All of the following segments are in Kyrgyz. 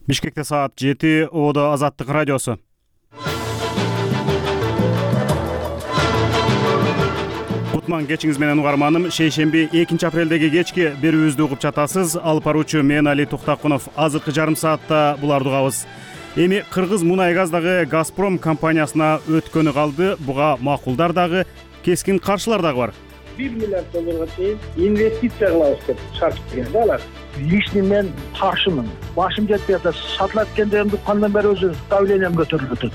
Бишкекте саат 7, Оодо Азаттык радиосу. Кутман кечиңиз менен угарманым. Шейшемби 2 апрелдеги кечки берүүбүздү угуп жатасыз. Алып баруучу мен Али Туктакунов. Азыркы жарым саатта буларды угабыз. Эми Кыргыз мунай газдагы Газпром компаниясына өткөнү калды. Буга макулдар дагы, кескин каршылар дагы бар. $1 миллиард чейин инвестиция кылабыз деп шарт берген да алар. Личный мен каршымын. Башым жетпей атат. Сатылат экен кандан бери өзү давлением көтөрүлүп атат.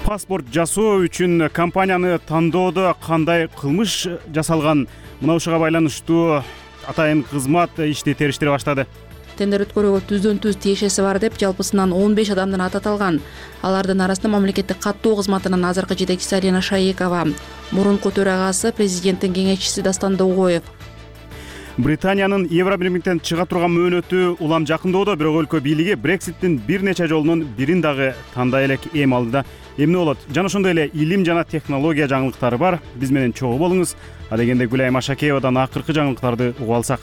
Паспорт жасоо үчүн компанияны тандоодо кандай кылмыш жасалган? Мына ушуга байланыштуу атайын кызмат ишти териштире баштады. Тендер өткөрүүгө түздөн-түз тиешеси бар деп жалпысынан 15 адамдын аты аталган. Алардын арасында мамлекеттик каттоо кызматынын азыркы жетекчиси Алина Шаекова, мурунку төрагасы президенттин кеңешчиси Дастан Догоев. Британиянын Евробиримдиктен чыга турган мөөнөтү улам жакындоодо, бирок өлкө бийлиги Брекситтин бир нече жолунун бирин дагы тандай элек эми алдыда. Эмне болот? Жана ошондой эле илим жана технология жаңылыктары бар. Биз менен чогуу болуңуз. Адегенде Гүлайым Ашакеевадан акыркы жаңылыктарды угуп алсак.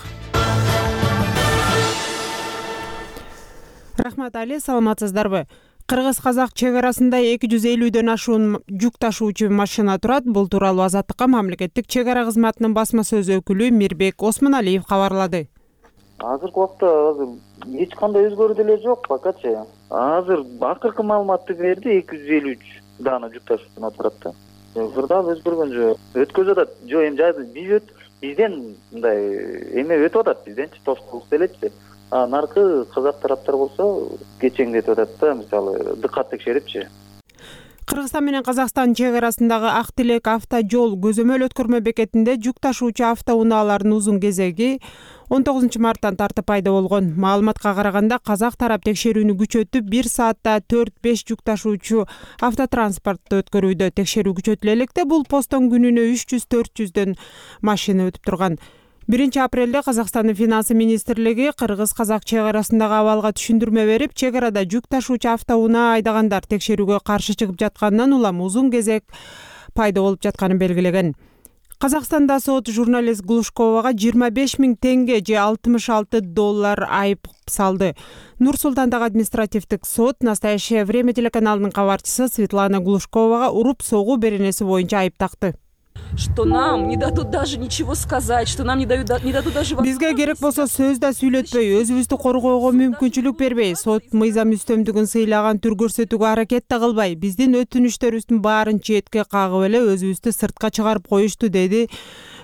Рахмат Али, саламатсыздарбы? Кыргыз-казак чек арасында 250дөн ашуун жүк ташуучу машина турат. Бул тууралуу Азаттыкка мамлекеттик чек ара кызматынын басма сөз өкүлү Мирбек Осмоналиев кабарлады. Азыркы убакта эч кандай өзгөрүү деле жок покачы. Азыр акыркы маалыматты берди, 253 даана жүк ташуучу турат да. Кырдаап өзгөргөн жок. Өткөзүп атат. Жок, эми бизден мындай эме өтүп атат, бизденчи тоскоолук делечи. Наркы казак тараптар болсо кечеңдетип атат да, мисалы дыкат текшерипчи. Кыргызстан менен Казакстан чек арасындагы Ак Тилек автожол көзөмөл өткөрмө бекетинде жүк ташуучу автоунаалардын узун кезеги 19 марттан тартып пайда болгон. Маалыматка караганда казак тарап текшерүүнү күчөтүп, 1 саатта 4-5 жүк ташуучу автотранспортду өткөрүүдө. Текшерүү күчөтүлө электе бул посттон күнүнө 300-400дөн машина өтүп турган. 1 апрелде Казакстандын финансы министрлиги Кыргыз-казак чек арасындагы абалга түшүндүрмө берип, чек арада жүк ташуучу автоунаа айдагандар текшерүүгө каршы чыгып жатканынан улам узун кезек пайда болуп жатканын белгилеген. Казакстанда сот журналист Глушковага 25 000 тенге же $66 айып салды. Нур-Султандагы административдик сот «Настоящее время» телеканалынын кабарчысы Светлана Глушковага уруп-согуу беренеси боюнча айып такты. Что нам не дадут даже ничего сказать, что нам не дадут даже... Бизге керек болсо сөз да сүйлөтпөй, өзүбүздү коргоого мүмкүнчүлүк бербей, сот мыйзам үстөмдүгүн сыйлаган түр көрсөтүүгө аракет да кылбай, биздин өтүнүштөрүбүздүн баарын четке кагып эле өзүбүздү сыртка чыгарып коюшту, деди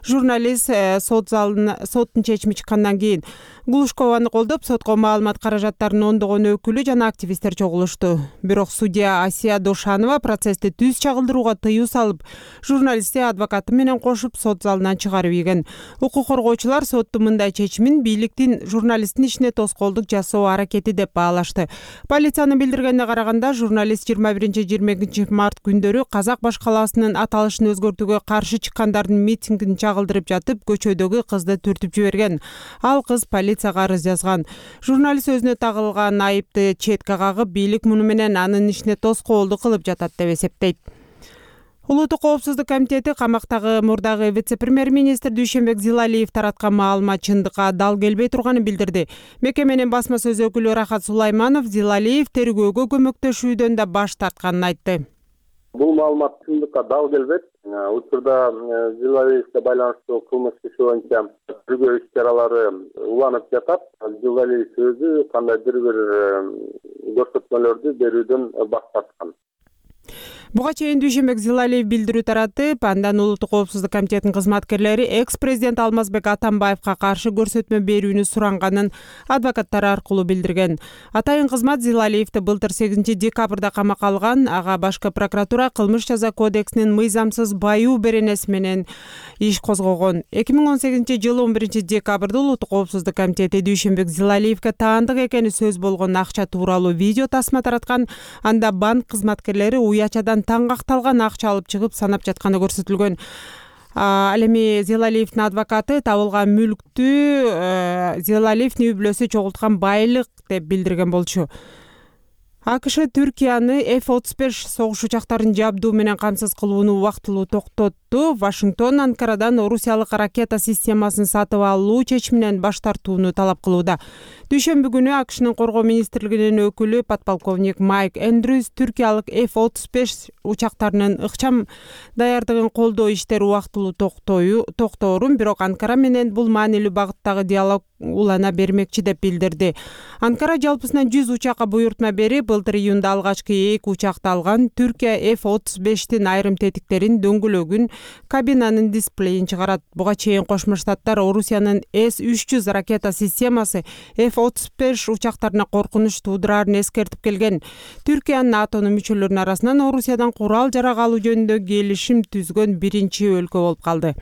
журналист соттун чечими чыккандан кийин. Глушкованы колдоп, сотко маалымат каражаттарынын ондогон өкүлү жана активисттер чогулушту. Бирок судья Асия Дошанова процессти түз чагылдырууга тыюу салып, журналистти адвокаты менен кошуп сот залынан чыгарып ийген. Укук коргоочулар соттун мындай чечимин бийликтин журналисттин ишине тоскоолдук жасоо аракети деп баалашты. Полициянын билдиргенине караганда, журналист 21-22 март күндөрү Казак баш калаасынын аталышын өзгөртүүгө каршы чыккандардын митингин чагылдырып жатып, көчөдөгү кызды түртүп жиберген. Ал кыз полицияга арыз жазган. Журналист өзүнө тагылган айыпты четке кагып, бийлик муну менен анын ишине тоскоолдук кылып жатат деп эсептейт. Улуттук коопсуздук комитети камактагы мурдагы вице-премьер-министр Дүйшөнбек Зилалиев тараткан маалымат чындыкка дал келбей турганын билдирди. Мекеменин басма сөз өкүлү Рахат Сулайманов Зилалиев тергөөгө көмөктөшүүдөн да баш тартканын айтты. Бул маалымат чындыкка дал келбейт. Учурда Зилалиевге байланыштуу кылмыш иши боюнча тергөө иш-чаралары уланып жатат. Зилалиев өзү кандайдыр бир көрсөтмөлөрдү берүүдөн баш тарткан. Буга чейин Дүйшөнбек Зилалиев билдирүү таратып, андан Улуттук коопсуздук комитетинин кызматкерлери экс-президент Алмазбек Атамбаевка каршы көрсөтмө берүүнү суранганын адвокаттары аркылуу билдирген. Атайын кызмат Зилалиевди былтыр 8 декабрда камакка алган. Ага башкы прокуратура кылмыш жаза кодексинин мыйзамсыз баюу беренеси менен иш козгогон. 2018 жылы 11 декабрда Улуттук коопсуздук комитети Дүйшөнбек Зилалиевге таандык экени сөз болгон акча тууралуу видео тасма тараткан. Анда банк кызматкерлери уячадан таңгакталган акча алып чыгып санап жатканы көрсөтүлгөн. Ал эми Зилалиевдин адвокаты табылган мүлктү Зилалиевдин үй бүлөсү чогулткан байлык деп билдирген болчу. АКШ Түркияны F-35 согуш учактарын жабдуу менен камсыз кылууну убактылуу токтотту. Вашингтон Анкарадан орусиялык ракета системасын сатып алуу чечиминен баш тартууну талап кылууда. Дүйшөмбү күнү AQShnын коргоо министрлигинин өкүлү подполковник Майк Эндрюс түркиялык F-35 учактарынын ыкчам даярдыгын колдоо иштери убактылуу токтоорун, бирок Анкара менен бул маанилүү багыттагы диалог улана бермекчи деп билдирди. Анкара жалпысынан 100 учакка буйртма берип, былтыр июнда алгачкы 2 учакты алган. Түркия F-35тин айрым тетиктерин, дөңгөлөгүн, кабинанын дисплейин чыгарат. Буга чейин Кошмо Штаттар Орусиянын С-300 ракета системасы F-35 учактарына коркунуч туудурарын эскертип келген. Түркия НАТОнун мүчөлөрүнүн арасынан Орусиядан курал-жарак алуу жөнүндө келишим түзгөн биринчи өлкө болуп калды.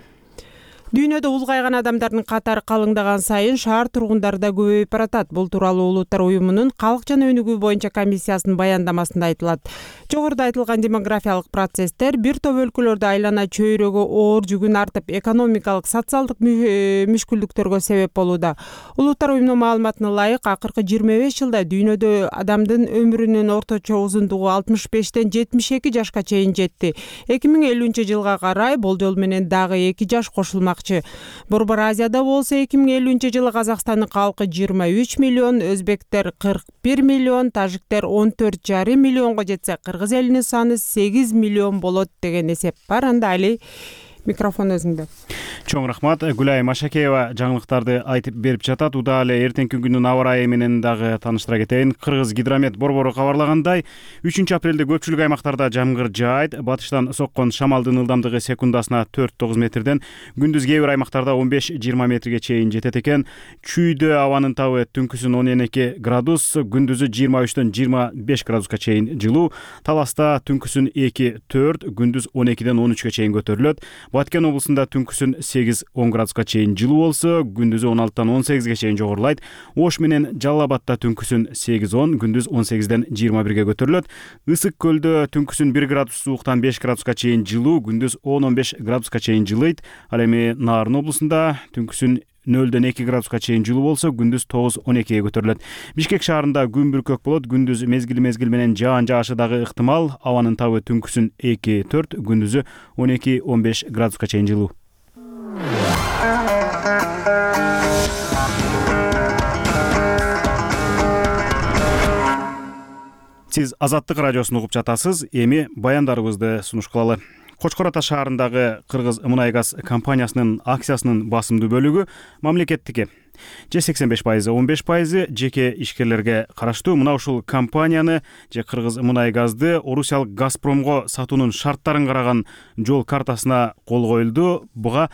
Дүйнөдө улгайган адамдардын катары калыңдаган сайын шаар тургундары да көбөйүп баратат. Бул тууралуу Улуттар уюмунун калк жана өнүгүү боюнча комиссиясынын баяндамасында айтылат. Жогоруда айтылган демографиялык процесстер бир топ өлкөлөрдө айлана чөйрөгө оор жүгүн артып, экономикалык, социалдык мүшкүлдүктөргө себеп болууда. Улуттар уюмунун маалыматына ылайык, акыркы 25 жылда дүйнөдө адамдын өмүрүнүн орточо узундугу 65-тен 72 жашка чейин жетти. 2050-жылга карай болжол менен дагы 2 жаш кошулмак. Борбор Азияда болсо 2050-жылы Казакстандын калкы 23 миллион, өзбектер 41 миллион, тажиктер 14,5 миллионго жетсе, кыргыз элинин саны 8 миллион болот деген эсеп бар. Анда Али, микрофон өзүңдө. Чоң рахмат. Гүлай Машакеева жаңылыктарды айтып берип жатат. Удаал эле эртеңки күндүн аба ырайы менен дагы тааныштыра кетейин. Кыргыз гидромет борбору кабарлагандай, 3-апрелде көпчүлүк аймактарда жамгыр жаайт. Батыштан соккон шамалдын ылдамдыгы секундасына 4-9 метрден, күндүз кээ бир аймактарда 15-20 метрге чейин жетет экен. Чүйдө абанын табы түнкүсүн 12 градус, күндүзү 23-төн 25 градуска чейин жылуу. Таласта түнкүсүн 2-4, күндүз 12-ден 13-кө чейин көтөрүлөт. Баткен облусунда түнкүсүн 8-10 градуска чейин жылуу болсо, күндүзү 16-тан 18-ге чейин жогорулайт. Ош менен Жалал Абадта түнкүсүн 8-10, күндүз 18-ден 21-ге көтөрүлөт. Ысык көлдө түнкүсүн 1 градус сууктан 5 градуска чейин жылуу, күндүз 10-15 градуска чейин жылыйт. Ал эми Нарын облусунда түнкүсүн 0-ден 2 градуска чейин жылуу болсо, күндүз 9-12-ге көтөрүлөт. Бишкек шаарында күн бүркөк болот, күндүз мезгил менен жаан жаашы дагы ыктымал. Абанын табы түнкүсүн 2-4, күндүзү 12-15 градуска чейин жылуу. Сиз Азаттык радиосун угуп жатасыз. Эми баяндарыбызды сунуш кылалы. Кочкор Ата шаарындагы Кыргыз Мунай газ компаниясынын акциясынын басымдуу бөлүгү мамлекеттики. 85%, 15% жеке ишкерлерге караштуу. Мына ушул компанияны же Кыргыз Мунай газды Орусиялык Газпромго сатуунун шарттарын караган жол картасына кол коюлду. Буга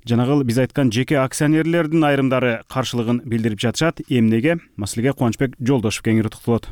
жанагыл биз айткан жеке акционерлердин айрымдары каршылыгын билдирип жатышат. Эмнеге? Маселеге Кубанычбек Жолдошев кеңири токтолот.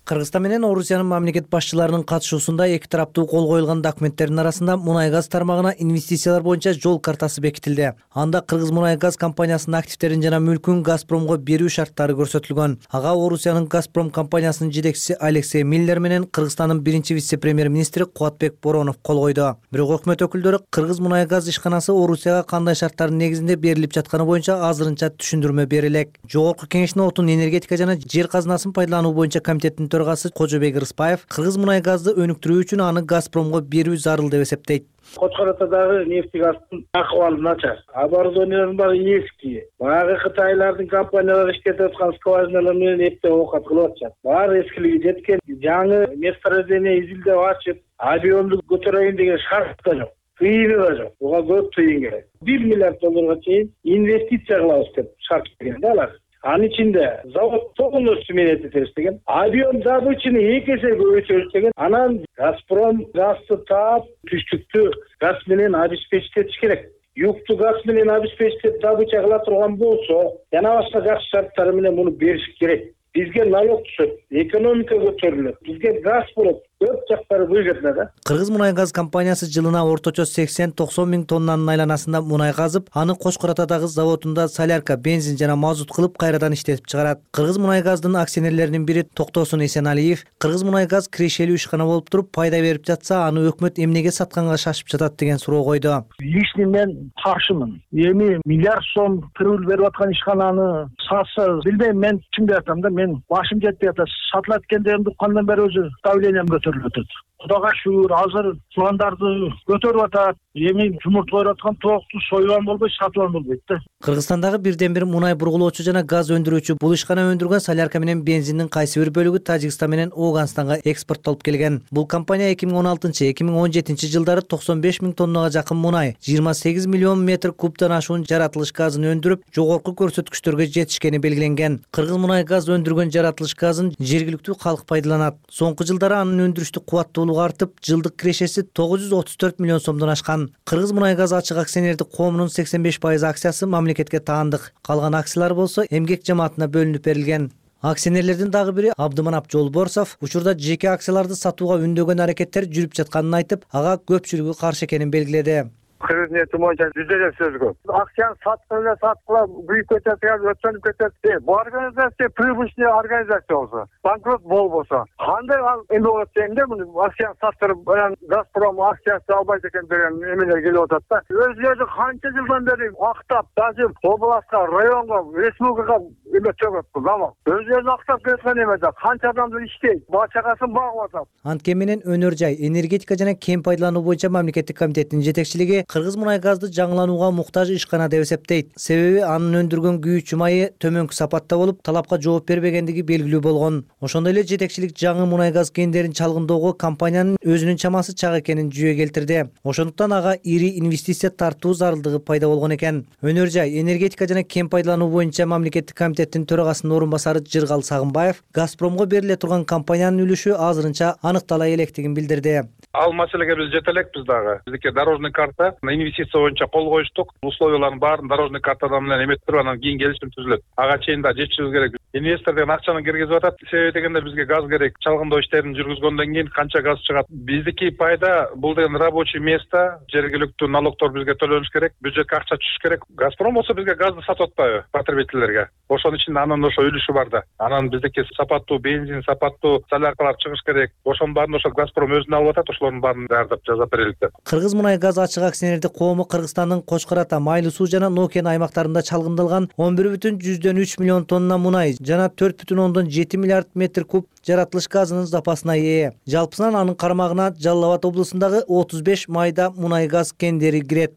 Кыргызстан менен Орусиянын мамлекет башчыларынын катышуусунда эки тараптуу кол коюлган документтердин арасында мунай газ тармагына инвестициялар боюнча жол картасы бекитилди. Анда Кыргыз Мунай газ компаниясынын активдерин жана мүлкүн Газпромго берүү шарттары көрсөтүлгөн. Ага Орусиянын Газпром компаниясынын жетекчиси Алексей Миллер менен Кыргызстандын биринчи вице-премьер-министри Кубатбек Боронов кол койду. Бирок өкмөт өкүлдөрү Кыргыз Мунай газ ишканасы Орусияга кандай шарттардын негизинде берилип жатканы боюнча азырынча түшүндүрмө бере элек. Жогорку кеңештин отун энергетика жана жер казынасын пайдалануу боюнча комитеттин төрагасы Кожобек Рыспаев Кыргыз Мунай газды өнүктүрүү үчүн аны Газпромго берүү зарыл деп эсептейт. Кочкор Атадагы нефтегаздын акыбалы начар. Оборудованиялардын баары эски. Баягы кытайлардын компаниялары иштетип аткан скважиналар менен эптеп оокат кылып атышат. Баары эскилиги жеткен. Жаңы месторождение изилдеп ачып, объемду көтөрөйүн деген шарт да жок. Тыйыны да жок. Буга көп тыйын керек. $1 миллиард чейин инвестиция кылабыз деп шарт берген да алар. Анын ичинде завод полностью менять этебиз деген. Объем добычаны 2 эсе көбөйтөбүз деген. Анан Газпром газды таап, түштүктү газ менен обеспечить этиш керек. Юкту газ менен обеспечить добыча кыла турган болсо, жана башка жакшы шарттар менен муну бериш керек. Бизге налог түшөт, экономика көтөрүлөт, бизге газ болот. Көп жактары выгодно да. Кыргыз Мунай газ компаниясы жылына орточо 80-90 миң тоннанын айланасында мунай газып, аны Кочкор Атадагы заводунда солярка, бензин жана мазут кылып кайрадан иштетип чыгарат. Кыргыз Мунай газдын акционерлеринин бири Токтосун Эсеналиев Кыргыз Мунай газ кирешелүү ишкана болуп туруп пайда берип жатса, аны өкмөт эмнеге сатканга шашып жатат деген суроо койду. Лишний мен каршымын. Эми миллиард сом кырыл берип аткан ишкананы сатса, билбейм, мен чын айтам да, мен башым жетпей атат. Сатылат экендигимди кандан бери өзү давлением көтөрүлүп атат. Кудайга шүгүр азыр чубандарды көтөрүп атат. Эми жумурт коюп аткан токту союган болбойт, сатып болбойт да. Кыргызстандагы бирден бир мунай бургулоочу жана газ өндүрүүчү бул ишкана өндүргөн солярка менен бензиндин кайсы бир бөлүгү Тажикстан менен Ооганстанга экспорттолуп келген. Бул компания 2016-2017 жылдары 95 миң тоннага жакын мунай, 28 миллион метр кубтан ашуун жаратылыш газын өндүрүп, жогорку көрсөткүчтөргө жетишкени белгиленген. Кыргыз мунай газ өндүргөн жаратылыш газын жергиликтүү калк пайдаланат. Соңку жылдары анын өндүрүштүк кубаттуулугу артып, жылдык кирешеси 934 миллион сомдон ашкан. Кыргыз мунай газ ачык акционердик коомунун 85% акциясы мамлекетке таандык. Калган акциялар болсо эмгек жамаатына бөлүнүп берилген. Акционерлердин дагы бири Абдыманап Жолборсов учурда жеке акцияларды сатууга үндөгөн аракеттер жүрүп жатканын айтып, ага көпчүлүгү каршы экенин белгиледи. Кыргыз нефти боюнча жүздөдөн сөз көп. Акцияны саткыла büyük кетет, өтөнүп кетет. Бул организация прибыльный организация болсо, банкрот болбосо, кандай эме болот дегенде, муну акцияны саттырып, Газпром акциясы албайт экен деген эмелер келип атат да. Өзүлөрү канча жылдан бери актап, даже областка, районго, республикага эме төгөт бул заман. Өзүлөрү актап кеткен эмеде канча адамдар иштейт, бала чагасын багып атат. Анткени менен өнөр жай, энергетика жана кен пайдалануу боюнча мамлекеттик комитеттин жетекчилиги Кыргыз мунай газды жаңыланууга муктаж ишкана деп эсептейт. Себеби анын өндүргөн күйүүчү майы төмөнкү сапатта болуп, талапка жооп бербегендиги белгилүү болгон. Ошондой эле жетекчилик жаңы мунай газ кендерин чалгындоого компаниянын өзүнүн чамасы чак экенин жүйө келтирди. Ошондуктан ага ири инвестиция тартуу зарылдыгы пайда болгон экен. Өнөр жай, энергетика жана кен пайдалануу боюнча мамлекеттик комитеттин төрагасынын орун басары Жыргал Сагынбаев Газпромго бериле турган компаниянын үлүшү азырынча аныктала электигин билдирди. Ал маселеге биз жете элекпиз дагы. Биздики дорожный карта инвестиция боюнча кол коюштук. Условиялардын баарын дорожный картадан менен эметип, анан кийин келишим түзүлөт. Ага чейин да жетишибиз керек. Инвестор деген акчаны киргизип атат. Себеби дегенде бизге газ керек. Чалгындоо иштерин жүргүзгөндөн кийин канча газ чыгат? Биздики пайда бул деген рабочий место, жергиликтүү налогдор бизге төлөнүш керек, бюджетке акча түшүш керек. Газпром болсо бизге газды сатып атпайбы потребительдерге? Ошонун ичинде анын ошо үлүшү бар да. Анан биздики сапаттуу бензин, сапаттуу соляркалар чыгыш керек. Ошонун баарын ошо Газпром өзүнө алып атат. Ошолордун баарын даярдап жазап берелик деп. Кыргыз мунай газ ачык акционердик коому Кыргызстандын Кочкор Ата, Майлуу Суу жана Нокен аймактарында чалгындалган 11,3 миллион тонна мунай жана 4,7 миллиард метр куб жаратылыш газынын запасына ээ. Жалпысынан анын кармагына Жалал Абад облусундагы 35 майда мунай газ кендери кирет.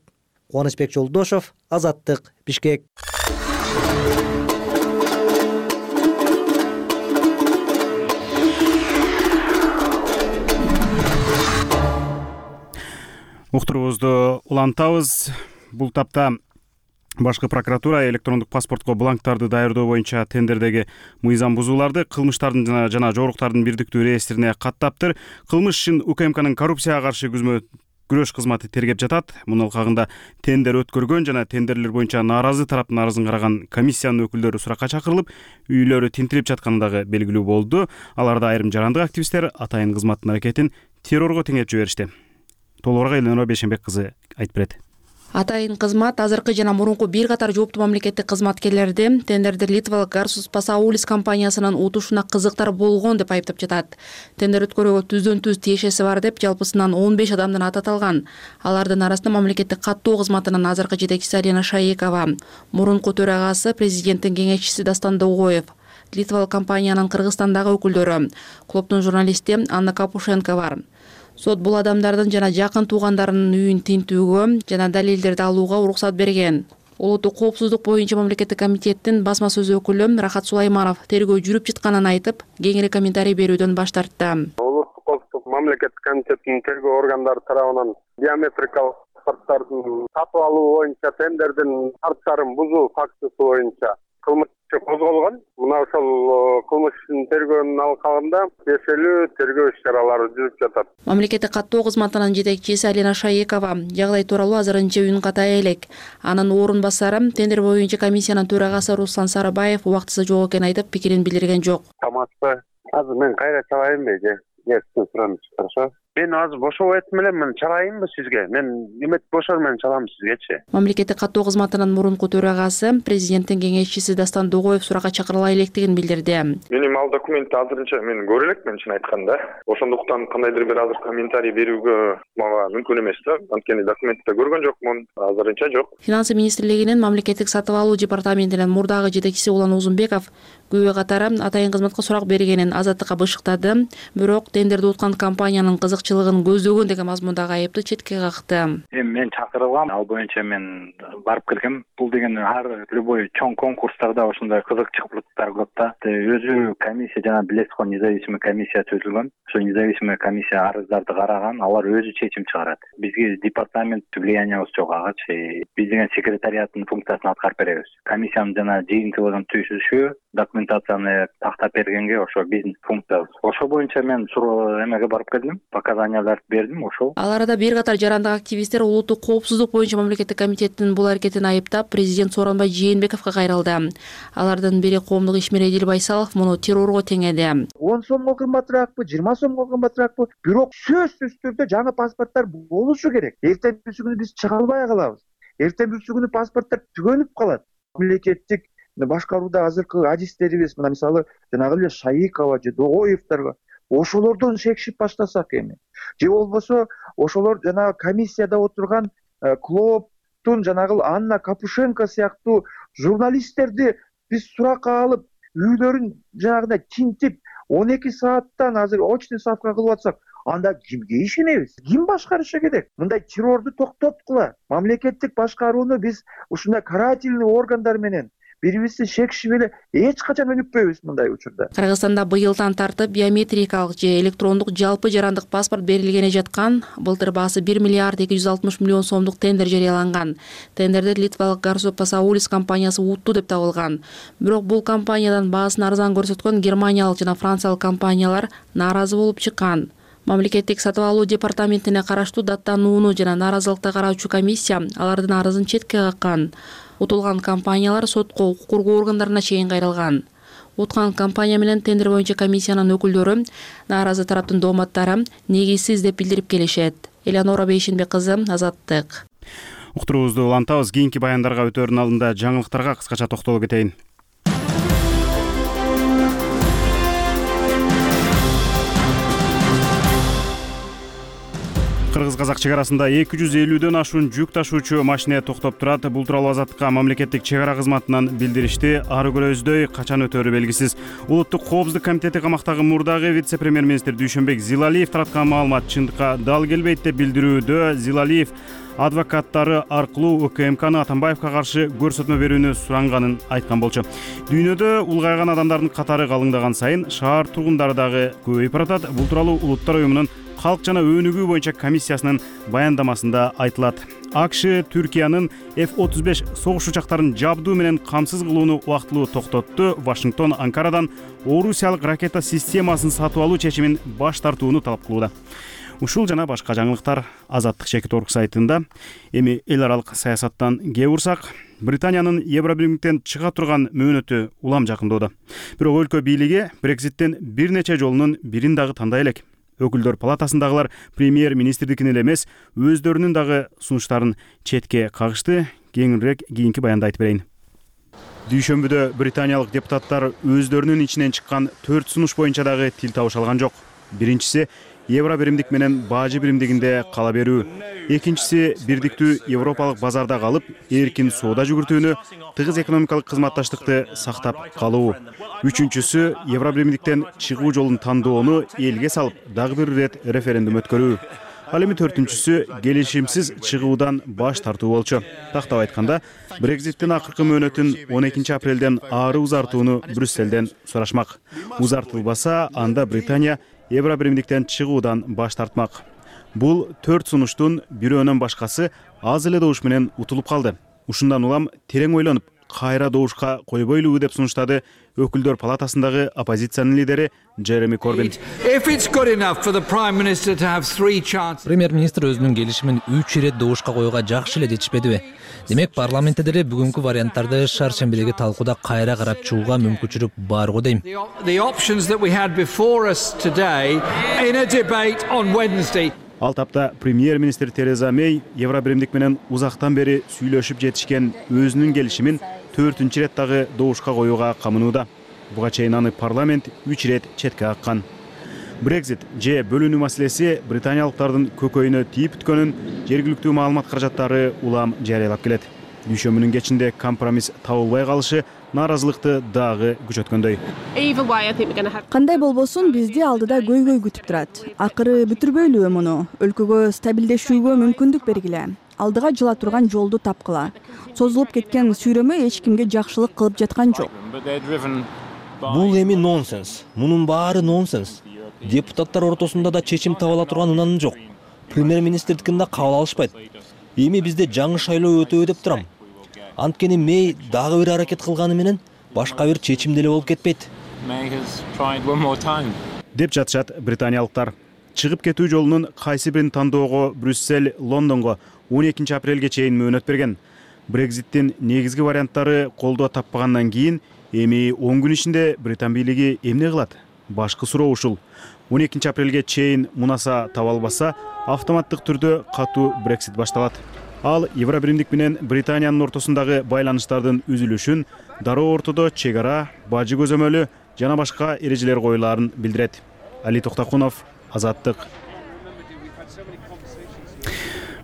Кубанычбек Жолдошов, Азаттык, Бишкек. Уктуруубузду улантабыз. Бул тапта башкы прокуратура электрондук паспортко бланктарды даярдоо боюнча тендердеги мыйзам бузууларды кылмыштардын жана жоруктардын бирдиктүү реестрине каттаптыр. Кылмыш ишин УКМКнын коррупцияга каршы күрөш кызматы тергеп жатат. Мунун алкагында тендер өткөргөн жана тендерлер боюнча нааразы тараптын арызын караган комиссиянын өкүлдөрү суракка чакырылып, үйлөрү тинтилип жатканы дагы белгилүү болду. Аларда айрым жарандык активисттер атайын кызматтын аракетин террорго теңеп жиберишти. Толугураак Эленора Бейшенбек кызы айтып берет. Атайын кызмат азыркы жана мурунку бир катар жооптуу мамлекеттик кызматкерлерди тендерде Литвалык Garsus Pasaulis компаниясынын утушуна кызыктар болгон деп айыптап жатат. Тендер өткөрүүгө түздөн түз тиешеси бар деп жалпысынан 15 адамдын аты аталган. Алардын арасында мамлекеттик каттоо кызматынын азыркы жетекчиси Алина Шаекова, мурунку төрагасы президенттин кеңешчиси Дастан Догоев, Литвалык компаниянын Кыргызстандагы өкүлдөрү, клубдун журналисти Анна Капушенко бар. Сот бул адамдардын жана жакын туугандарынын үйүн тинтүүгө жана далилдерди алууга уруксат берген. Улуттук коопсуздук боюнча мамлекеттик комитеттин басма сөз өкүлү Рахат Сулайманов тергөө жүрүп жатканын айтып, кеңири комментарий берүүдөн баш тартты. Улуттук коопсуздук мамлекеттик комитеттин тергөө органдары тарабынан биометрикалык паспорттардын сатып алуу боюнча тендердин шарттарын бузуу фактысы боюнча кылмыш козголгон. Мына ошол кылмыштын тергөөнүн алкагында тиешелүү тергөө иш-чаралары жүрүп жатат. Мамлекеттик каттоо кызматынын жетекчиси Алина Шаекова жагдай тууралуу азырынча үн катая элек. Анын орун басары тендер боюнча комиссиянын төрагасы Руслан Сарыбаев убактысы жок экенин айтып, пикирин билдирген жок. Тамакты азыр мен кайра чалайынбы же? Хорошо. Мен азыр бошоп айтым элем, мен чалайынбы сизге? Мен эмет бошор менен чалам сизгечи. Мамлекеттик каттоо кызматынын мурунку төрагасы президенттин кеңешчиси Дастан Догоев суракка чакырыла электигин билдирди. Менин ал документти азырынча мен көрө элекмин, чын айтканда. Ошондуктан кандайдыр бир азыр комментарий берүүгө мага мүмкүн эмес да. Анткени документти көргөн жокмун, азырынча жок. Финансы министрлигинин мамлекеттик сатып алуу департаментинин мурдагы жетекчиси Улан Узунбеков күбө катары атайын кызматка сурак бергенин Азаттыкка бышыктады. Бирок тендерди уткан компаниянын кызыкчылыгы артыкчылыгын көздөгөн деген мазмундагы айыпты четке какты. Эми мен чакырылгам, ал боюнча мен барып келгем. Бул деген любой чоң конкурстарда ошондой кызыкчылыктар көп да. Өзү комиссия жана билесиз го, независимый комиссия түзүлгөн. Ошо независимый комиссия арыздарды караган, алар өзү чечим чыгарат. Бизге департамент влиянияыбыз жок агачы. Биз деген секретариаттын функциясын аткарып беребиз. Комиссиянын жана жыйынтыгын түзүшү, документацияны тактап бергенге ошо биздин функциябыз. Ошо боюнча мен эмеге барып келдим, показанияларды бердим, ошол. Ал арада бир катар жарандык активисттер улуттук коопсуздук боюнча мамлекеттик комитеттин бул аракетин айыптап, президент Сооронбай Жээнбековго кайрылды. Алардын бири коомдук ишмер Эдил Байсалов муну террорго теңеди. 10 сомго кымбатыраакпы, 20 сомго кымбатыраакпы, бирок сөзсүз түрдө жаңы паспорттор болушу керек. Эртеңки күнү биз чыга албай калабыз. Эртеңки күнү паспорттор түгөнүп калат. Мамлекеттик башкарууда азыркы адистерибиз, мына мисалы жанагы эле Шайыкова же Догоевдорго ошолордон шекшип баштасак эми. Же болбосо ошолор жанагы комиссияда отурган Клооптун жанагы Анна Капушенко сыяктуу журналисттерди биз суракка алып, үйлөрүн жанагындай тинтип 12 сааттан азыр очный ставка кылып атсак, анда кимге ишенебиз? Ким башкарышы керек? Мындай террорду токтоткула. Мамлекеттик башкарууну биз ушундай карательный органдар менен бири-бирибизди шекшип эле эч качан өнүкпөйбүз мындай учурда. Кыргызстанда быйылдан тартып биометрикалык же электрондук жалпы жарандык паспорт берилгене жаткан. Былтыр баасы 1 миллиард 260 миллион сомдук тендер жарыяланган. Тендерди литвалык Garso Pasaulis компаниясы утту деп табылган. Бирок бул компаниядан баасын арзан көрсөткөн германиялык жана франциялык компаниялар нааразы болуп чыккан. Мамлекеттик сатып алуу департаментине караштуу даттанууну жана нааразылыкты караучу комиссия алардын арызын четке каккан. Утулган компаниялар сотко, укук коргоо органдарына чейин кайрылган. Уткан компания менен тендер боюнча комиссиянын өкүлдөрү нааразы тараптын дооматтары негизсиз деп билдирип келишет. Элеонора Бейшенбек кызы, Азаттык. Уктуруубузду улантабыз. Кийинки баяндарга өтөөрүнүн алдында жаңылыктарга кыскача токтолуп кетейин. Кыргыз-казак чек арасында 250дөн ашуун жүк ташуучу машина токтоп турат. Бул тууралуу Азаттыкка мамлекеттик чек ара кызматынан билдиришти. Ары көрөздөй качан өтөөрү белгисиз. Улуттук коопсуздук комитети камактагы мурдагы вице-премьер-министр Дүйшөнбек Зилалиев тараткан маалымат чындыкка дал келбейт деп билдирүүдө. Зилалиев адвокаттары аркылуу УКМКны Атамбаевка каршы көрсөтмө берүүнү суранганын айткан болчу. Дүйнөдө улгайган адамдардын катары калыңдаган сайын шаар тургундары дагы көбөйүп баратат. Бул тууралуу Улуттар уюмунун Калк жана өнүгүү боюнча комиссиясынын баяндамасында айтылат. АКШ Түркиянын F-35 согуш учактарын жабдуу менен камсыз кылууну убактылуу токтотту. Вашингтон Анкарадан орусиялык ракета системасын сатып алуу чечимин баш тартууну талап кылууда. Ушул жана башка жаңылыктар Азаттык Чекит.орг сайтында. Эми эл аралык саясаттан кээ урсак, Британиянын Евробиримдиктен чыга турган мөөнөтү улам жакындоодо. Бирок өлкө бийлиги Брекситтен бир нече жолунун бирин дагы тандай элек. Өкүлдөр палатасындагылар премьер-министрдикин эле эмес, өздөрүнүн дагы сунуштарын четке кагышты. Кеңирээк кийинки баянда айтып берейин. Дүйшөмбүдө британиялык депутаттар өздөрүнүн ичинен чыккан 4 сунуш боюнча дагы тил табыш алган жок. Биринчиси Евробиримдик менен бажы биримдигинде кала берүү. Экинчиси бирдиктүү Европалык базарда калып, эркин соода жүгүртүүнү, тыгыз экономикалык кызматташтыкты сактап калуу. Үчүнчүсү Евробиримдиктен чыгуу жолун тандоону элге салып, дагы бир ирет референдум өткөрүү. Ал эми төртүнчүсү келишимсиз чыгуудан баш тартуу болчу. Тактап айтканда, Брекситтин акыркы мөөнөтүн 12 апрелден ары узартууну Брюсселден сурашмак. Узартылбаса, анда Британия Евробиримдиктен чыгуудан баш тартмак. Бул 4 сунуштун бирөөнөн башкасы аз эле добуш менен утулуп калды. Ушундан улам терең ойлонуп, кайра добушка койбойлуу деп сунуштады өкүлдөр палатасындагы оппозициянын лидери Джереми Корбин. Премьер-министр өзүнүн келишимин 3 ирет добушка коюуга жакшы эле жетишпедиби? Демек парламентте деле бүгүнкү варианттарды шаршембидеги талкууда кайра карап чыгууга мүмкүнчүлүк бар го дейм. Ал тапта премьер-министр Тереза Мей Евробиримдик менен узактан бери сүйлөшүп жетишкен өзүнүн келишимин 4-чү ирет дагы добушка коюуга камынууда. Буга чейин аны парламент 3 ирет четке каккан. Брексит же бөлүнүү маселеси британиялыктардын көкөйүнө тийип бүткөнүн жергиликтүү маалымат каражаттары улам жарыялап келет. Дүйшөмбүнүн кечинде компромисс табылбай калышы нааразылыкты дагы күчөткөндөй. Кандай болбосун бизди алдыда көйгөй күтүп турат. Акыры бүтүрбөйлүбү муну? Өлкөгө стабилдешүүгө мүмкүндүк бергиле. Алдыга жыла турган жолду тапкыла. Созулуп кеткен сүйрөмө эч кимге жакшылык кылып жаткан жок. Бул эми нонсенс. Мунун баары нонсенс. Депутаттар ортосунда да чечим таба ала турган унан жок. Премьер-министрдикин да кабыл алышпайт. Эми бизде жаңы шайлоо өтөбү деп турам. Анткени Мэй дагы бир аракет кылганы менен башка бир чечим деле болуп кетпейт. Деп жатышат британиялыктар. Чыгып кетүү жолунун кайсы бирин тандоого Брюссель Лондонго 12 апрелге чейин мөөнөт берген. Брекзиттин негизги варианттары колдоо таппагандан кийин эми 10 күн ичинде Британ бийлиги эмне кылат? Башкы суроо ушул. 12 апрелге чейин мунаса таба албаса, автоматтык түрдө катуу Брексит башталат. Ал Евробиримдик менен Британиянын ортосундагы байланыштардын үзүлүшүн, дароо ортодо чек ара, бажы көзөмөлү жана башка эрежелер коюлаарын билдирет. Али Токтакунов, Азаттык.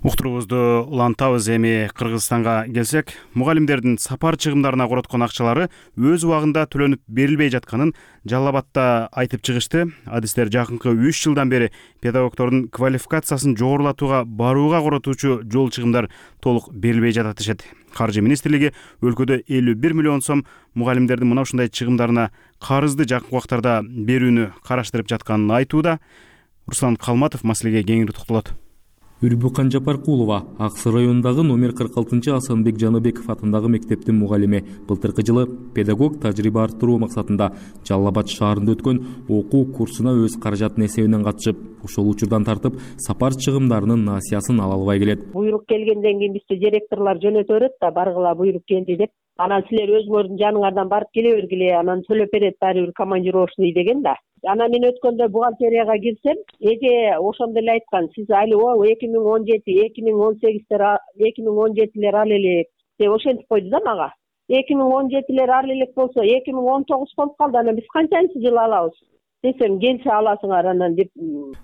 Уктуруубузду улантабыз. Эми Кыргызстанга келсек, мугалимдердин сапар чыгымдарына короткон акчалары өз убагында төлөнүп берилбей жатканын Жалал Абадта айтып чыгышты. Адистер жакынкы 3 жылдан бери педагогдордун квалификациясын жогорулатууга барууга коротуучу жол чыгымдар толук берилбей жатат дешет. Каржы министрлиги өлкөдө 51 миллион сом мугалимдердин мына ушундай чыгымдарына карызды жакынкы убактарда берүүнү караштырып жатканын айтууда. Руслан Калматов маселеге кеңири токтолот. Үрбүкан Жапаркулова Аксы районундагы номер 46 Асанбек Жаныбеков атындагы мектептин мугалими. Былтыркы жылы педагог тажрыйба арттыруу максатында Жалал Абад шаарында өткөн окуу курсуна өз каражатын эсебинен катышып, ошол учурдан тартып сапар чыгымдарынын насыясын ала албай келет. Буйрук келгенден кийин бизди директорлор жөнөтө берет да, баргыла буйрук келди деп. Анан силер өзүңөрдүн жаныңардан барып келе бергиле, анан төлөп берет баары бир командировочный деген да. Анан мен өткөндө бухгалтерияга кирсем, эже ошондо эле айткан, сиз али 2017, 2018-2017-лер ал элек деп ошентип койду да мага. 2017-лер ал элек болсо 2019 болуп калды, анан биз канчанчы жыл алабыз? Десем, келсе аласыңар анан деп.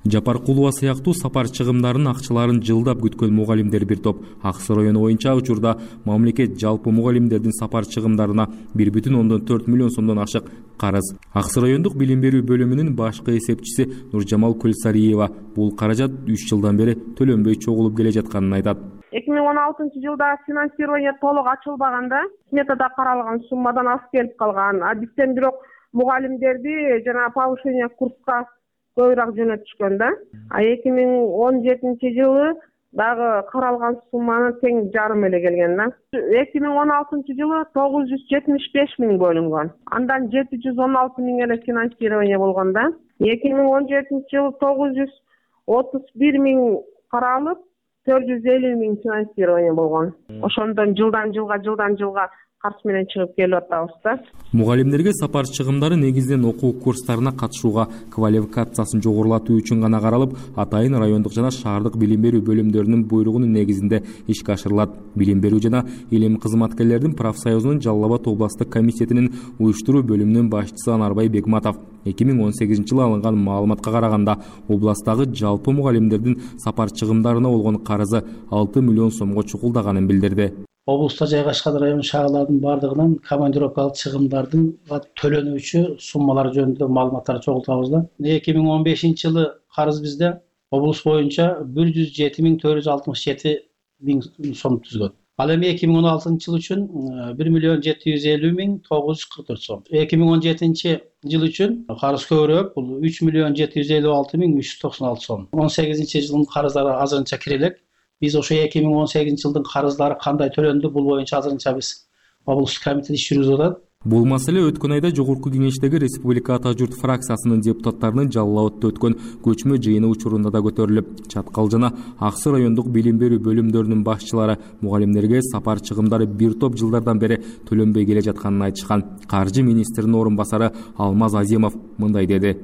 Жапаркулова сыяктуу сапар чыгымдарынын акчаларын жылдап күткөн мугалимдер бир топ. Аксы району боюнча учурда мамлекет жалпы мугалимдердин сапар чыгымдарына 1,4 миллион сомдон ашык карыз. Аксы райондук билим берүү бөлүмүнүн башкы эсепчиси Нуржамал Көлсариева бул каражат 3 жылдан бери төлөнбөй чогулуп келе жатканын айтат. 2016-жылда финансирование толук ачылбаганда, сметада каралган суммадан аз келип калган. А бизден бирок мугалимдерди жана повышение курска көбүрөөк жөнөтүшкөн да. А 2017-жылы дагы каралган сумманы тең жарым эле келген да. 2016-жылы 975 миң бөлүнгөн. Андан 716 миң эле финансирование болгон да. 2017-жылы 931 миң каралып, 450 миң финансирование болгон. Ошондон жылдан жылга карыз менен чыгып келип атабыз да. Мугалимдерге сапар чыгымдары негизинен окуу курстарына катышууга, квалификациясын жогорулатуу үчүн гана каралып, атайын райондук жана шаардык билим берүү бөлүмдөрүнүн буйругунун негизинде ишке ашырылат. Билим берүү жана илим кызматкерлердин профсоюзунун Жалал Абад областык комитетинин уюштуруу бөлүмүнүн башчысы Анарбай Бегматов 2018-жылы алынган маалыматка караганда, областагы жалпы мугалимдердин сапар чыгымдарына болгон карызы 6 миллион сомго чукулдаганын билдирди. Облуста жайгашкан район шаарлардын бардыгынан командировкалык чыгымдардын төлөнүүчү суммалар жөнүндө маалыматтар чогултабыз да. 2015-жылы карыз бизде облус боюнча 107.467 миң сом түзгөн. Ал эми 2016-жыл үчүн 1.750.944 сом. 2017-жыл үчүн карыз көбүрөөк, бул 3.756.396 сом. 18-жылдын карыздары азырынча кире элек. Биз ошо 2018-жылдын карыздары кандай төлөндү, бул боюнча азырынча биз облустук комитет иш жүргүзүп атат. Бул маселе өткөн айда Жогорку Кеңештеги Республика Ата журт фракциясынын депутаттарынын Жалал Абадта өткөн көчмө жыйыны учурунда да көтөрүлүп, Чаткал жана Аксы райондук билим берүү бөлүмдөрүнүн башчылары мугалимдерге сапар чыгымдары бир топ жылдардан бери төлөнбөй келе жатканын айтышкан. Каржы министринин орун басары Алмаз Азимов мындай деди.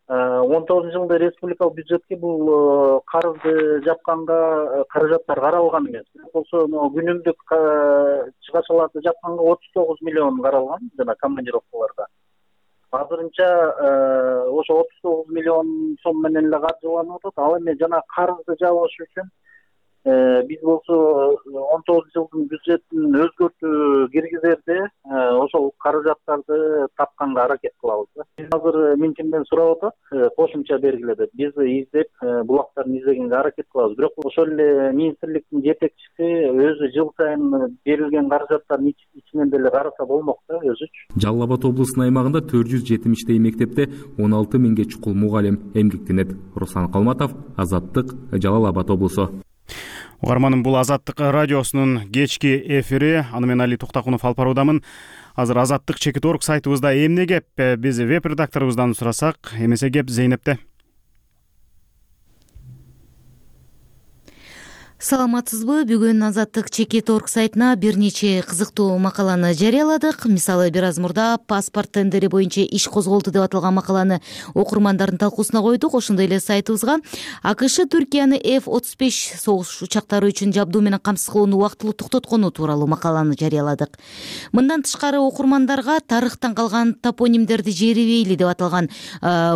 19-жылда республикалык бюджетке бул карызды жапканга каражаттар каралган эмес. Болсо күнүмдүк чыгачаларды жапканга 39 миллион каралган жана командировкаларга. Азырынча ошо 39 миллион сом менен эле каржыланып атат. Ал эми жана карызды жабыш үчүн Биз болсо 19 жылдын бюджетин өзгөртүү киргизерде ошол каражаттарды тапканга аракет кылабыз. Биз азыр Мюнхенден сурап атат, кошумча бергиле деп. Биз издеп, булактарын издегенге аракет кылабыз. Бирок ошол эле министрликтин жетекчиси өзү жыл сайын берилген каражаттардын ичинен деле караса болмок да өзүчү. Жалал Абад облусунун аймагында 470 мектепте 16 миңге чукул мугалим эмгектенет. Руслан Калматов, Азаттык, Жалал Абад облусу. Угарманым, бул Азаттык радиосунун кечки эфири. Аны мен Али Токтакунов алып баруудамын. Азыр Азаттык Чекит.org сайтыбызда эмне кеп? Биз веб-редакторубуздан сурасак, эмесе кеп Зейнепте. Саламатсызбы? Бүгүн Азаттык Чекит.org сайтына бир нече кызыктуу макаланы жарыяладык. Мисалы, бир аз мурда паспорт тендери боюнча иш козголду деп аталган макаланы окурмандардын талкуусуна койдук. Ошондой эле сайтыбызга АКШ Түркияны F-35 согуш учактары үчүн жабдуу менен камсыз кылууну убактылуу токтоткону тууралуу макаланы жарыяладык. Мындан тышкары окурмандарга тарыхтан калган топонимдерди жерибейли деп аталган